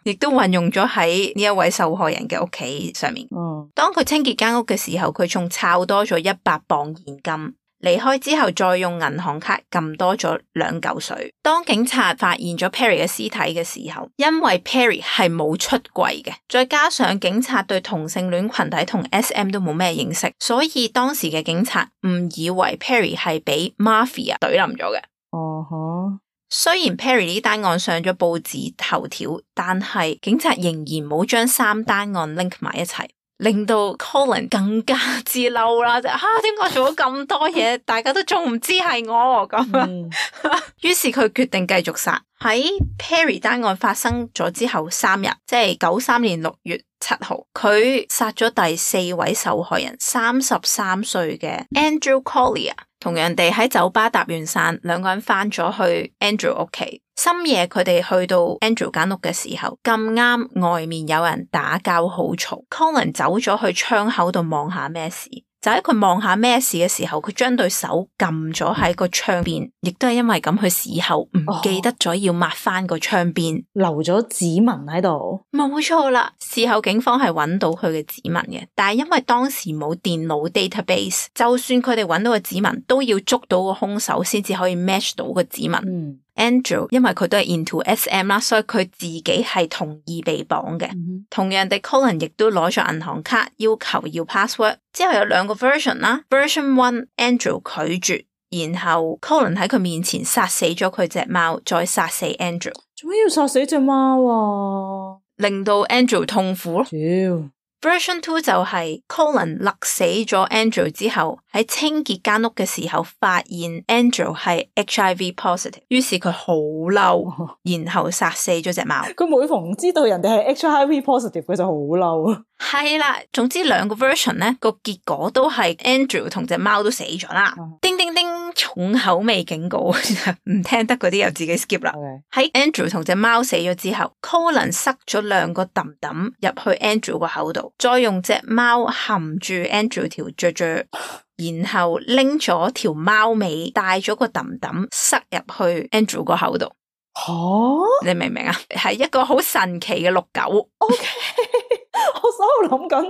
亦都運用咗喺呢一位受害人嘅屋企上面。當佢清潔間屋嘅時候，佢仲抄多咗100磅現金。離開之後，再用銀行卡撳多咗2嚿水。當警察發現咗 Perry 嘅屍體嘅時候，因為 Perry 係冇出櫃嘅，再加上警察對同性戀群體同 SM 都冇咩認識，所以當時嘅警察誤以為 Perry 係俾 Mafia 懟冧咗嘅。雖然 Perry 呢單案上咗報紙頭條，但係警察仍然冇將3單案 link 埋一齊。令到 Colin 更加之嬲啦，點解我做咗咁多嘢，大家都仲唔知係我咁？於是佢決定繼續殺。喺 Perry 單案發生咗之後3日，即係93年6月7號，佢殺咗第4位受害人，33歲嘅 Andrew Collier。同樣地喺酒吧搭完散，2個人翻咗去 Andrew 屋企。深夜佢哋去到 Andrew 間屋嘅時候，咁啱外面有人打交好嘈。Colin 走咗去窗口度望下咩事，就喺佢望下咩事嘅時候，佢將對手撳咗喺個窗邊，亦都係因為咁，佢事後唔記得咗要抹翻個窗邊，留咗指紋喺度。冇錯啦，事後警方係揾到佢嘅指紋嘅，但係因為當時冇電腦 database， 就算佢哋揾到個指紋，都要捉到個兇手先至可以 match 到個指紋。Andrew 因為佢都係 into SM 啦，所以佢自己係同意被綁嘅。同樣地 Colin 亦都攞咗銀行卡，要求要 password。之後有2個 version 啦 ，version 1 Andrew 拒絕，然後 Colin 喺佢面前殺死咗佢隻貓，再殺死 Andrew。做咩要殺死隻貓啊？令到 Andrew 痛苦咯。Version 2就係 Colin 勒死咗 Andrew 之後，喺清潔間屋嘅時候發現 Andrew 係 HIV positive， 於是佢好嬲，然後殺死咗隻貓。佢每逢知道人哋係 HIV positive， 佢就好嬲。係啦，總之2個 version 咧，個結果都係 Andrew 同隻貓都死咗啦。叮叮叮，重口味警告，唔聽得嗰啲又自己 skip 啦。喺 Andrew 同隻貓死咗之後 ，Colin 塞咗2個揼揼入去 Andrew 個口度，再用隻貓含住 Andrew 條雀雀，然後拎咗條貓尾帶咗個揼揼塞入去 Andrew 個口度。你明唔明啊？係一個好神奇嘅綠狗。OK， 我喺度諗緊，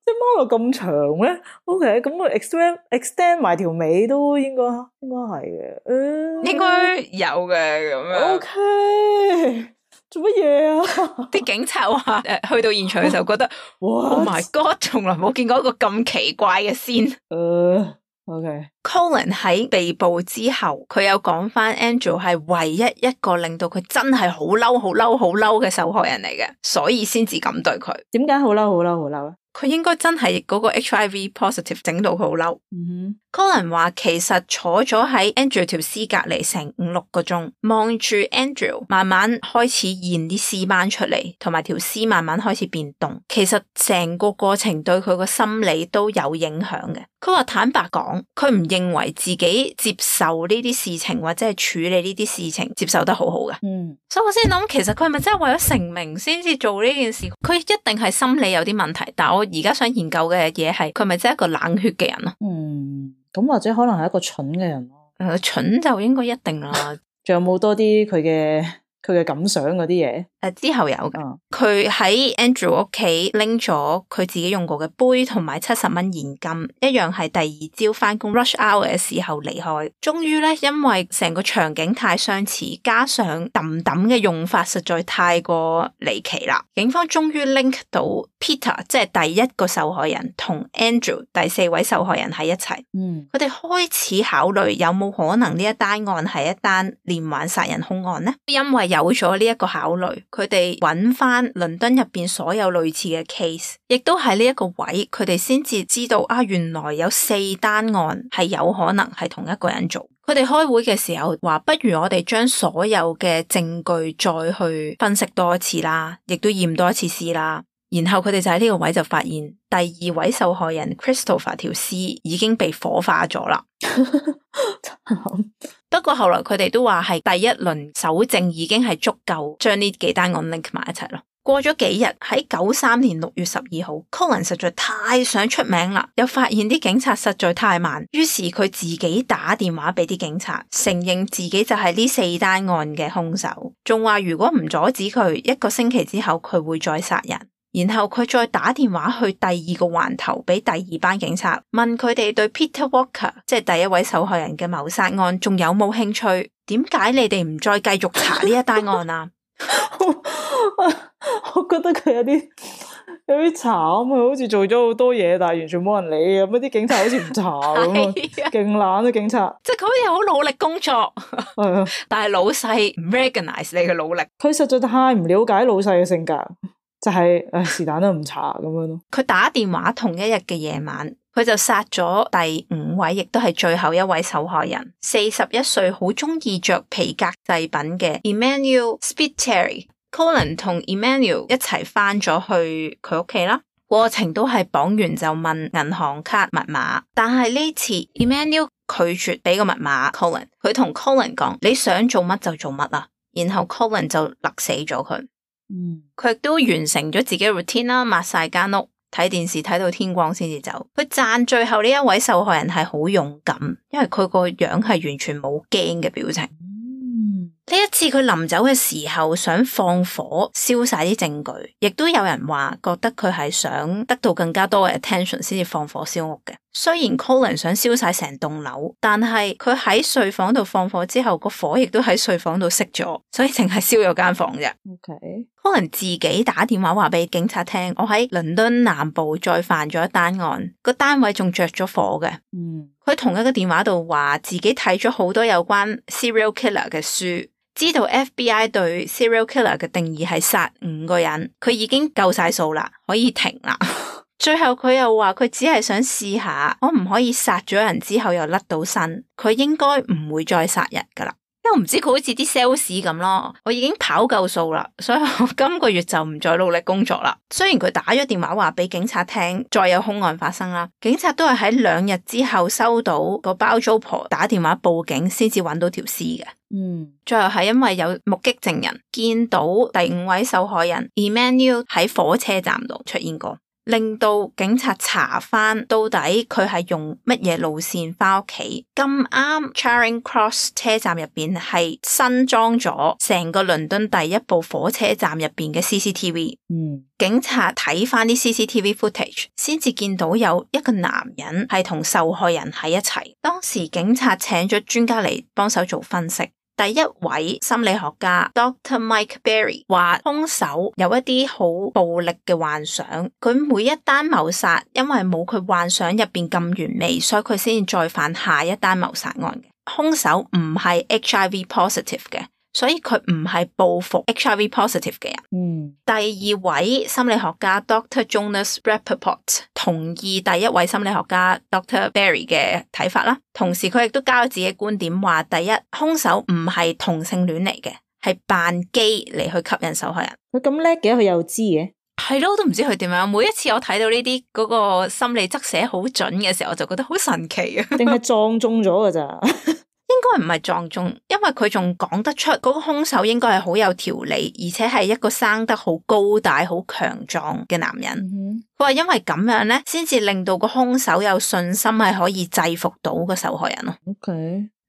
隻貓又咁長咧。OK， 咁我 extend 埋條尾都應該係嘅。應該有嘅咁樣。OK， 做乜嘢啊？啲警察話去到現場嘅時候覺得，Oh my God， 從來冇見過一個咁奇怪嘅先。OK。Colin 喺被捕之後，佢有講翻 Andrew 係唯一一個令到佢真係好嬲嘅受害人嚟嘅，所以先至咁對佢。點解好嬲咧？佢應該真係嗰個 HIV positive 整到佢好嬲。Colin 話其實坐咗喺 Andrew 條屍隔離成5-6個鐘，望住 Andrew 慢慢開始現啲屍斑出嚟，同埋條屍慢慢開始變凍。其實成個過程對佢個心理都有影響嘅。佢話坦白講，佢唔認為自己接受呢啲事情或者係處理呢啲事情接受得好好嘅。所以我先諗，其實佢係咪真係為咗成名先至做呢件事？佢一定係心理有啲問題，但我而家想研究嘅嘢係，佢係咪真係一個冷血嘅人咯？咁或者可能係一個蠢嘅人咯。蠢就應該一定啦。仲有冇多啲佢嘅感想嗰啲嘢？之後有嘅，佢喺 Andrew 屋企拎咗佢自己用過嘅杯同埋70蚊現金，一樣係第二朝翻工 rush hour 嘅時候離開。終於咧，因為成個場景太相似，加上揼嘅用法實在太過離奇啦，警方終於 link 到 Peter 即係第一個受害人同 Andrew 第4位受害人喺一齊。佢哋開始考慮有冇可能呢一單案係一單連環殺人兇案呢？因為有咗呢一個考慮，佢哋揾翻倫敦入邊所有類似嘅 case， 亦都係呢一個位，佢哋先至知道原來有4單案係有可能係同一個人做。佢哋開會嘅時候話，不如我哋將所有嘅證據再去分析多一次啦，亦都驗多一次屍啦。然後佢哋就喺呢個位就發現第2位受害人 Christopher 條屍已經被火化咗啦。不過後來佢哋都話係第一輪搜證已經係足夠將呢幾單案 link 埋一齊咯。過咗幾日，喺93年6月12號 Colin 實在太想出名啦，又發現啲警察實在太慢，於是佢自己打電話俾啲警察，承認自己就係呢4單案嘅兇手，仲話如果唔阻止佢，1個星期之後佢會再殺人。然後佢再打電話去第2個環頭俾第2班警察，問佢哋對 Peter Walker 即係第1位受害人嘅謀殺案仲有冇興趣？點解你哋唔再繼續查呢一單案啊？我覺得佢有啲慘啊，好似做咗好多嘢，但係完全冇人理咁。啲警察好似唔查咁，勁懶啊警察！即係佢好似好努力工作，但係老細唔 recognize 你嘅努力。佢實在太唔了解老細嘅性格。就係是但都唔查咁樣咯。佢打電話同一日嘅夜晚，佢就殺咗第5位，亦都係最後1位受害人，41歲，好中意着皮革製品嘅 Emmanuel Spiteri。Colin 同 Emmanuel 一齊翻咗去佢屋企啦。過程都係綁完就問銀行卡密碼，但係呢次 Emmanuel 拒絕俾個密碼 Colin。佢同 Colin 講：你想做乜就做乜啊。然後 Colin 就勒死咗佢。佢亦都完成咗自己嘅 routine 啦，抹晒間屋，睇電視睇到天光先至走。佢讚最後呢一位受害人係好勇敢，因為佢個樣係完全冇驚嘅表情。呢一次佢臨走嘅時候想放火燒晒啲證據，亦都有人話覺得佢係想得到更加多嘅 attention 先至放火燒屋嘅。雖然 Colin 想燒晒成棟樓，但係佢喺睡房度放火之後，個火亦都喺睡房度熄咗，所以淨係燒咗間房啫。Colin 自己打電話話俾警察聽，我喺倫敦南部再犯咗一單案，個單位仲着咗火嘅。佢同一個電話度話自己睇咗好多有關 serial killer 嘅書，知道 FBI 對 serial killer 嘅定義係殺5個人，佢已經夠晒數啦，可以停啦。最後佢又話佢只係想試下，我唔可以殺咗人之後又甩到身，佢應該唔會再殺人噶啦。因為我唔知佢好似啲 sales 咁咯，我已經跑夠數啦，所以我今個月就唔再努力工作啦。雖然佢打咗電話話俾警察聽，再有兇案發生啦，警察都係喺2日之後收到個包租婆打電話報警，先至揾到條屍嘅。最後係因為有目擊證人見到第5位受害人 Emmanuel 喺火車站度出現過。令到警察查翻到底佢係用乜嘢路線翻屋企。咁啱 Charing Cross 車站入邊係新裝咗成個倫敦第一部火車站入邊嘅 CCTV。警察睇翻啲 CCTV footage 先至見到有一個男人係同受害人喺一齊。當時警察請咗專家嚟幫手做分析。第一位心理學家 Dr. Mike Berry 話兇手有一啲好暴力嘅幻想，佢每一單謀殺因為冇佢幻想入邊咁完美，所以佢先至再犯下一單謀殺案嘅。兇手唔係 HIV positive 嘅，所以佢唔係報復 HIV positive 嘅人。第二位心理學家 Dr. Jonas Rappaport 同意第一位心理學家 Dr. Berry 嘅睇法啦，同時佢亦都交咗自己觀點，話第一，兇手唔係同性戀嚟嘅，係扮基嚟去吸引受害人。佢咁叻嘅，佢又知嘅。係咯，我都唔知佢點樣。每一次我睇到呢啲嗰個心理側寫好準嘅時候，我就覺得好神奇啊！定係撞中咗噶咋？應該唔係撞中，因為佢仲講得出嗰個兇手應該係好有條理，而且係一個生得好高大、好強壯嘅男人。佢話因為咁樣咧，先至令到個兇手有信心係可以制服到個受害人咯。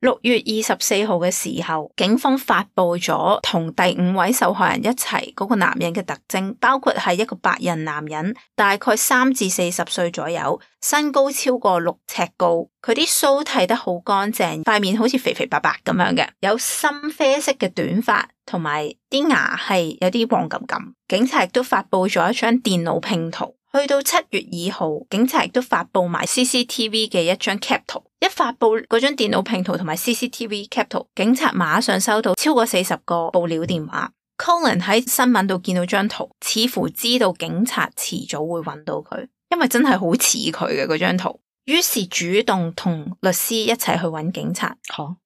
6月24號嘅時候，警方發佈咗同第5位受害人一齊嗰個男人嘅特徵，包括係一個白人男人，大概3至40歲左右，身高超過6尺高，佢啲鬚剃得好乾淨，塊面好似肥肥白白咁樣嘅，有深啡色嘅短髮，同埋啲牙係有啲黃咁咁。警察亦都發佈咗一張電腦拼圖。去到7月2號，警察亦都發佈埋 CCTV 嘅一張 cap 圖。一發佈嗰張電腦拼圖同埋 CCTV cap 圖，警察馬上收到超過40個報料電話。Colin 喺新聞度見到張圖，似乎知道警察遲早會揾到佢，因為真係好似佢嘅嗰張圖。於是主動同律師一齊去揾警察。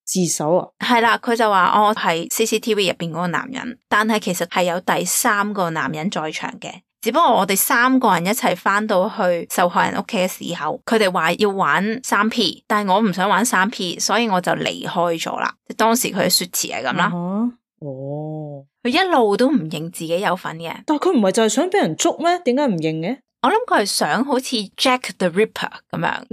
自首啊？係啦，佢就話我係 CCTV 入邊嗰個男人，但係其實係有第3個男人在場嘅。只不過我哋3個人一齊翻到去受害人屋企嘅時候，佢哋話要玩3P，但係我唔想玩3P，所以我就離開咗啦。當時佢嘅說辭係咁啦。佢一路都唔認自己有份嘅。但係佢唔係就係想俾人捉咩？點解唔認嘅？我諗佢係想好似 Jack the Ripper 咁樣。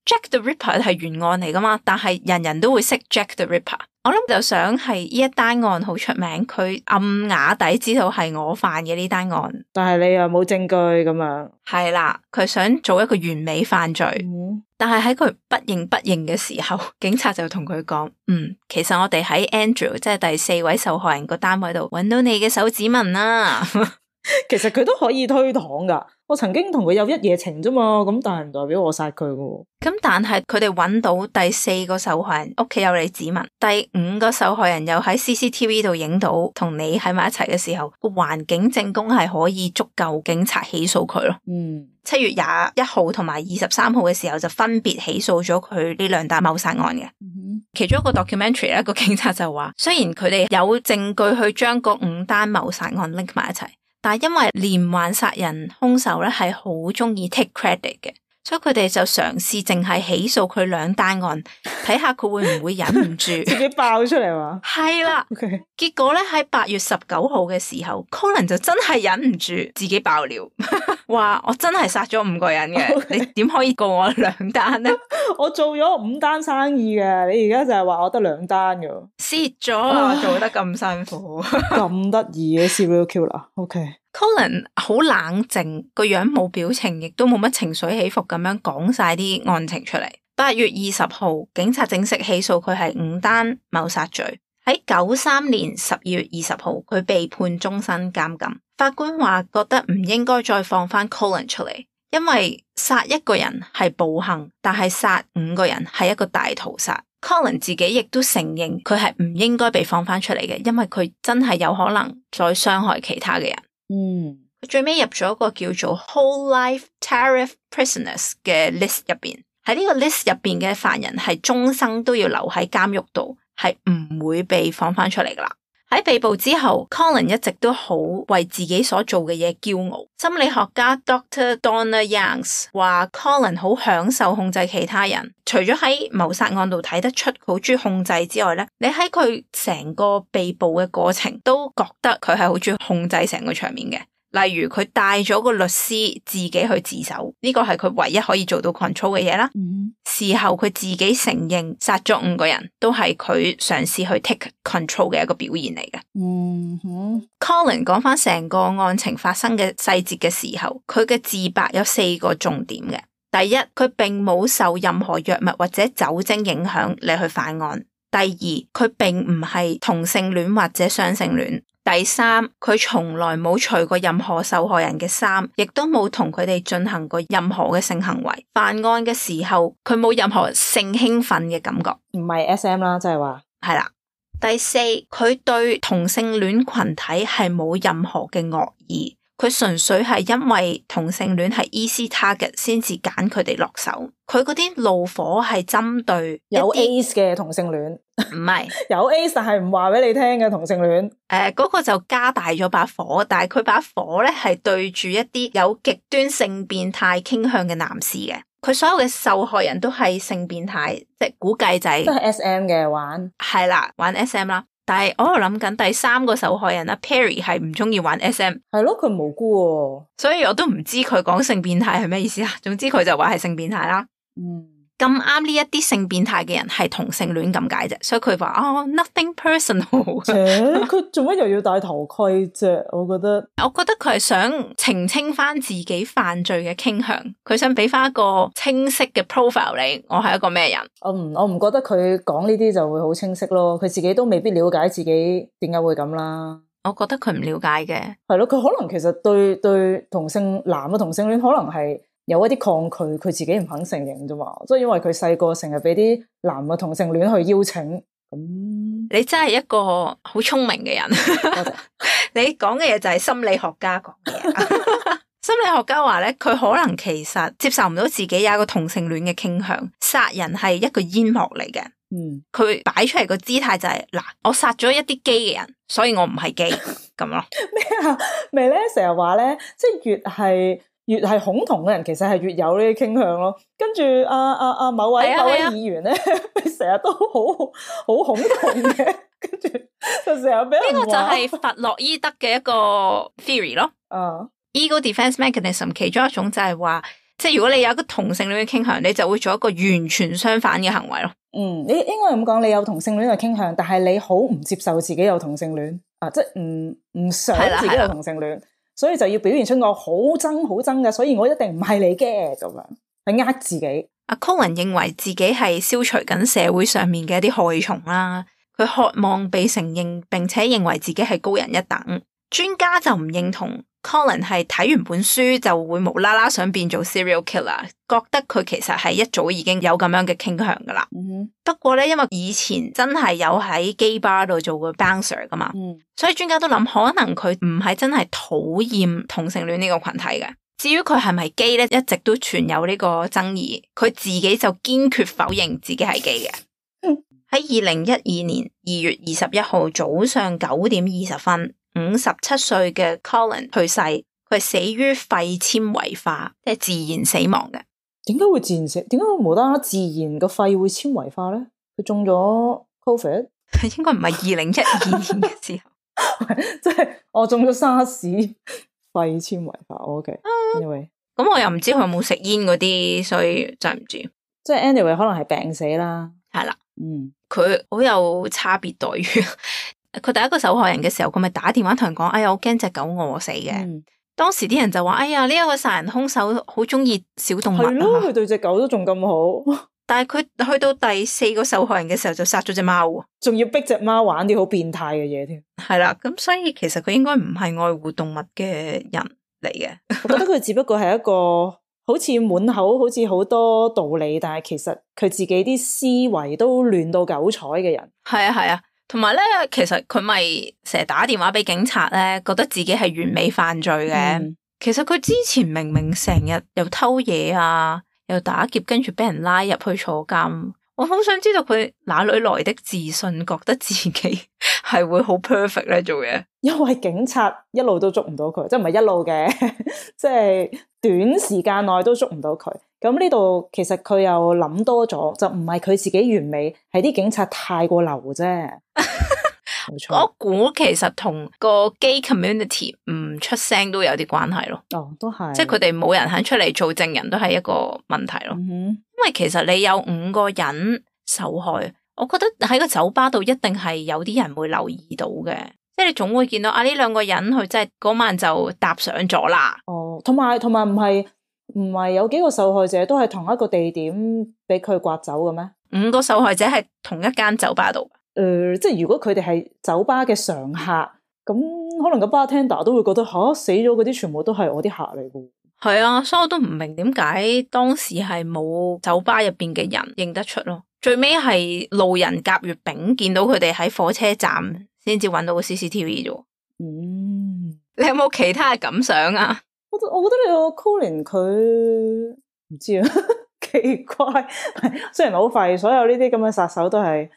Jack the Ripper 係懸案嚟噶嘛，但係人人都會識 Jack the Ripper。我諗就想係呢一單案好出名，佢暗啞底知道係我犯嘅呢單案，但係你又冇證據咁樣。係啦，佢想做一個完美犯罪。但係喺佢不認不認嘅時候，警察就同佢講，其實我哋喺 Andrew 即係第4位受害人個單位度揾到你嘅手指紋啦。其實佢都可以推搪噶，我曾經同佢有一夜情啫嘛，咁但係唔代表我殺佢噶。咁但係佢哋揾到第4個受害人屋企有你指紋，第5個受害人又喺 CCTV 度影到同你喺埋一齊嘅時候，個環境證供係可以足夠警察起訴佢咯。7月21號同埋23號嘅時候就分別起訴咗佢呢2單謀殺案嘅。其中一個 documentary 一個警察就話，雖然佢哋有證據去將嗰5單謀殺案 link 埋一齊，但係因為連環殺人兇手咧係好中意 take credit 嘅，所以佢哋就嘗試淨係起訴佢2單案，睇下佢會唔會忍唔住自己爆出嚟嘛？係啦，結果咧喺8月19號嘅時候，Colin 就真係忍唔住自己爆料，話我真係殺咗5個人嘅，你點可以告我2單咧？我做咗5單生意嘅，你而家就係話我得2單嘅，蝕咗做得咁辛苦，咁得意嘅 serial killer。Colin 好冷靜，個樣冇表情，亦都冇乜情緒起伏咁樣講晒啲案情出嚟。8月20號，警察正式起訴佢係5單謀殺罪。喺93年12月20號，佢被判終身監禁。法官話覺得唔應該再放翻 Colin 出嚟，因為殺1個人係暴行，但係殺5個人係一個大屠殺。Colin 自己亦都承認佢係唔應該被放翻出嚟嘅，因為佢真係有可能再傷害其他嘅人。佢最尾入咗一個叫做 Whole Life Tariff Prisoners 嘅 list 入邊，喺呢個 list 入邊嘅犯人係終生都要留喺監獄度，係唔會被放翻出嚟噶啦。喺被捕之後 Colin 一直都好為自己所做嘅嘢驕傲。心理學家 Dr. Donna Youngs 話 Colin 好享受控制其他人，除咗喺謀殺案度睇得出佢好中意控制之外咧，你喺佢成個被捕嘅過程都覺得佢係好中意控制成個場面嘅。例如佢帶咗個律師自己去自首，呢個係佢唯一可以做到 control 嘅嘢啦。事後佢自己承認殺咗5個人，都係佢嘗試去 take control 嘅一個表現嚟嘅。Colin 講翻成個案情發生嘅細節嘅時候，佢嘅自白有4個重點嘅。第一，佢並冇受任何藥物或者酒精影響嚟去犯案。第二，佢並唔係同性戀或者雙性戀。第三，佢從來冇除過任何受害人嘅衫，亦都冇同佢哋進行過任何嘅性行為。犯案嘅時候，佢冇任何性興奮嘅感覺，唔係 SM 啦，即係話係啦。第四，佢對同性戀群體係冇任何嘅惡意，佢純粹係因為同性戀係 easy target 先至揀佢哋落手。佢嗰啲怒火係針對有 ace 嘅同性戀，唔係有 ace 但係唔話俾你聽嘅同性戀。嗰個就加大咗把火，但係佢把火咧係對住一啲有極端性變態傾向嘅男士嘅。佢所有嘅受害人都係性變態，即係估計就係都係 SM 嘅玩，係啦，玩 SM 啦。但係我喺度諗緊第3個受害人啦 Perry 係唔中意玩 SM， 係咯，佢無辜喎，所以我都唔知佢講性變態係咩意思啦。總之佢就話係性變態啦。咁啱呢一啲性變態嘅人係同性戀咁解啫，所以佢話nothing personal。佢做乜又要戴頭盔啫？我覺得佢係想澄清翻自己犯罪嘅傾向，佢想俾翻一個清晰嘅 profile 你，我係一個咩人。我唔覺得佢講呢啲就會好清晰咯，佢自己都未必了解自己點解會咁啦。我覺得佢唔了解嘅，係咯，佢可能其實對同性男嘅同性戀可能係有一啲抗拒，佢自己唔肯承認啫嘛，即係因為佢細個成日俾啲男嘅同性戀去邀請。咁你真係一個好聰明嘅人。多謝。你講嘅嘢就係心理學家講嘅嘢。心理學家話咧，佢可能其實接受唔到自己有一個同性戀嘅傾向，殺人係一個煙幕嚟嘅。佢擺出嚟個姿態就係嗱，我殺咗一啲基嘅人，所以我唔係基咁咯。咩啊？咪咧成日話咧，即係越係恐同嘅人，其實係越有呢啲傾向咯。跟住某位議員咧，成日都好恐同嘅，跟住就成日俾人話。呢個就係弗洛伊德嘅一個 theory 咯。Ego defense mechanism 其中一種就係話，即係如果你有一個同性戀嘅傾向，你就會做一個完全相反嘅行為咯。你應該咁講，你有同性戀嘅傾向，但係你好唔接受自己有同性戀即係唔想自己有同性戀。所以就要表現出我好憎嘅，所以我一定唔係你嘅咁樣，去呃自己。阿 Colin 認為自己係消除緊社會上面嘅一啲害蟲啦，佢渴望被承認，並且認為自己係高人一等。專家就唔認同 Colin 係睇完本書就會無啦啦想變做 serial killer， 覺得佢其實係一早已經有咁樣嘅傾向噶啦。不過咧，因為以前真係有喺 gay bar 度做過 bouncer 噶嘛，所以專家都諗可能佢唔係真係討厭同性戀呢個群體嘅。至於佢係咪 gay 咧，一直都存有呢個爭議。佢自己就堅決否認自己係 gay 嘅。喺2012年2月21號早上9點20分，57歲嘅 Colin 去世，佢係死於肺纖維化，即係自然死亡嘅。點解會自然死？點解會無啦啦自然個肺會纖維化咧？佢中咗 COVID？應該唔係2012年嘅時候，即係我中咗沙士肺纖維化。OK，anyway，咁我又唔知佢有冇食煙嗰啲，所以真係唔知。即係 anyway，可能係病死啦。係啦，佢好有差別待遇。佢第一個受害人嘅時候，佢咪打電話同人講：哎呀，我驚隻狗餓死嘅。當時啲人就話：哎呀，呢一個殺人兇手好中意小動物啊！係咯，佢對隻狗都仲咁好。但係佢去到第4個受害人嘅時候，就殺咗隻貓，仲要逼隻貓玩啲好變態嘅嘢添。係啦，咁所以其實佢應該唔係愛護動物嘅人嚟嘅。我覺得佢只不過係一個好似滿口好似好多道理，但係其實佢自己啲思維都亂到九彩嘅人。係啊。同埋咧，其實佢咪成日打電話俾警察咧，覺得自己係完美犯罪嘅。其實佢之前明明成日又偷嘢啊，又打劫，跟住俾人拉入去坐監。我好想知道佢哪裏來的自信，覺得自己係會好 perfect 咧做嘢。因為警察一路都捉唔到佢，即係唔係一路嘅，即係短時間內都捉唔到佢。咁呢度其實佢又諗多咗，就唔係佢自己完美，係啲警察太過流啫。冇錯。我估其實同個 gay community 唔出聲都有啲關係咯。哦，都係，即係佢哋冇人肯出嚟做證人，都係一個問題咯。因為其實你有5個人受害，我覺得喺個酒吧度一定係有啲人會留意到嘅，即係你總會見到呢2個人佢真係嗰晚就搭上咗啦。哦，同埋唔係有幾個受害者都係同一個地點俾佢刮走嘅咩？5個受害者係同一間酒吧度。即係如果佢哋係酒吧嘅常客，咁可能個 bartender 都會覺得死咗嗰啲全部都係我啲客嚟嘅。係啊，所以我都唔明點解當時係冇酒吧入邊嘅人認得出咯。最尾係路人甲乙丙見到佢哋喺火車站先至揾到個 CCTV 啫。你有冇其他嘅感想啊？我覺得你個 Colin 佢唔知啊，奇怪。雖然好廢，所有呢啲咁嘅殺手都係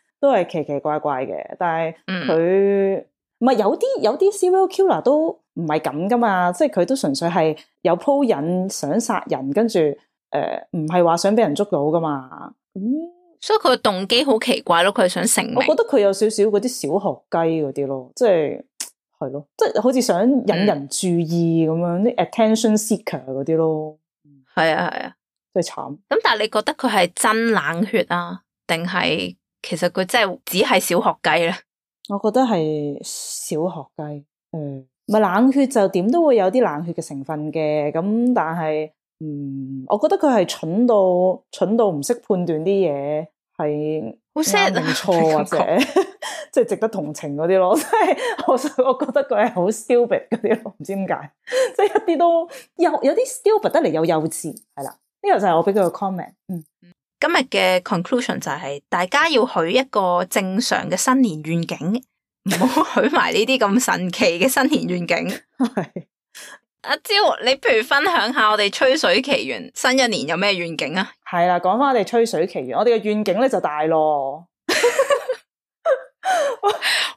奇奇怪怪嘅，但係佢唔係有啲 serial killer 都唔係咁噶嘛，即係佢都純粹係有鋪引想殺人，跟住唔係話想俾人捉到噶嘛。所以佢嘅動機好奇怪咯，佢係想成名。我覺得佢有少少嗰啲小學雞嗰啲咯，即係咯，即係好似想引人注意咁樣，啲 attention seeker 嗰啲咯。係啊係啊，真係慘。咁但係你覺得佢係真冷血啊，定係其實佢真係只係小學雞咧？我覺得係小學雞。咪冷血就點都會有啲冷血嘅成分嘅，咁但係我覺得佢係蠢到唔識判斷啲嘢係好 sad 定錯或者即係值得同情嗰啲咯。即係我覺得佢係好 stupid 嗰啲咯，唔知點解，即係一啲都有啲 stupid 得嚟又幼稚，係啦。呢個就係我俾佢嘅 comment。今日嘅 conclusion 就係大家要許一個正常嘅新年願景，唔好許埋呢啲咁神奇嘅新年願景。係阿蕉，你不如分享下我哋吹水奇緣新一年有咩願景啊？係啦，講翻我哋吹水奇緣，我哋嘅願景咧就大咯，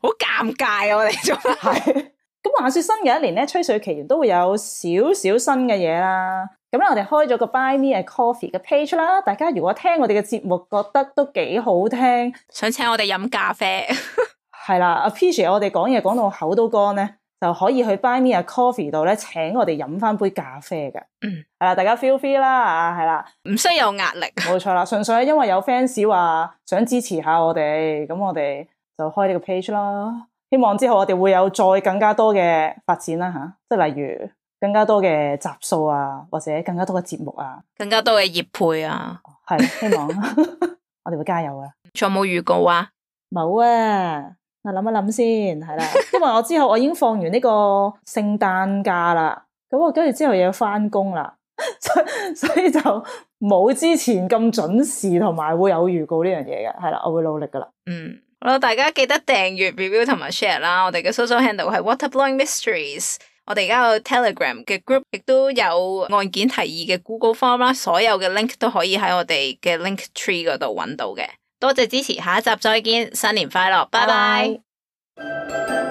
好尷尬啊！我哋做係咁話說新嘅一年咧，吹水奇緣都會有少少新嘅嘢啦。咁咧，我哋開咗個 Buy Me a Coffee 嘅 page 啦。大家如果聽我哋嘅節目覺得都幾好聽，想請我哋飲咖啡，係啦 ，appreciate 我哋講嘢講到口都乾咧，就可以去 Buy Me a Coffee 度咧，請我哋飲翻杯咖啡嘅。係啦，大家 feel free 啦，係啦，唔需要有壓力，冇錯啦，純粹係因為有 fans 話想支持下我哋，咁我哋就開呢個 page 啦。希望之後我哋會有再更加多嘅發展啦吓，即係例如更加多嘅集數啊，或者更加多嘅節目啊，更加多嘅業配啊，係希望我哋會加油啊。仲有冇預告啊？冇啊，我諗一諗先，係啦，因為我之後我已經放完呢個聖誕假啦，咁我跟住之後又要翻工啦，所以就冇之前咁準時同埋會有預告呢樣嘢嘅，係啦，我會努力噶啦。好啦，大家記得訂閱、review 同埋 share 啦。我哋嘅 social handle 係 Waterblowing Mysteries。我哋而家有 Telegram 嘅 group， 亦都有案件提議嘅 Google Form 啦。所有嘅 link 都可以喺我哋嘅 link tree 嗰度揾到嘅。多謝支持，下一集再見，新年快樂，拜拜。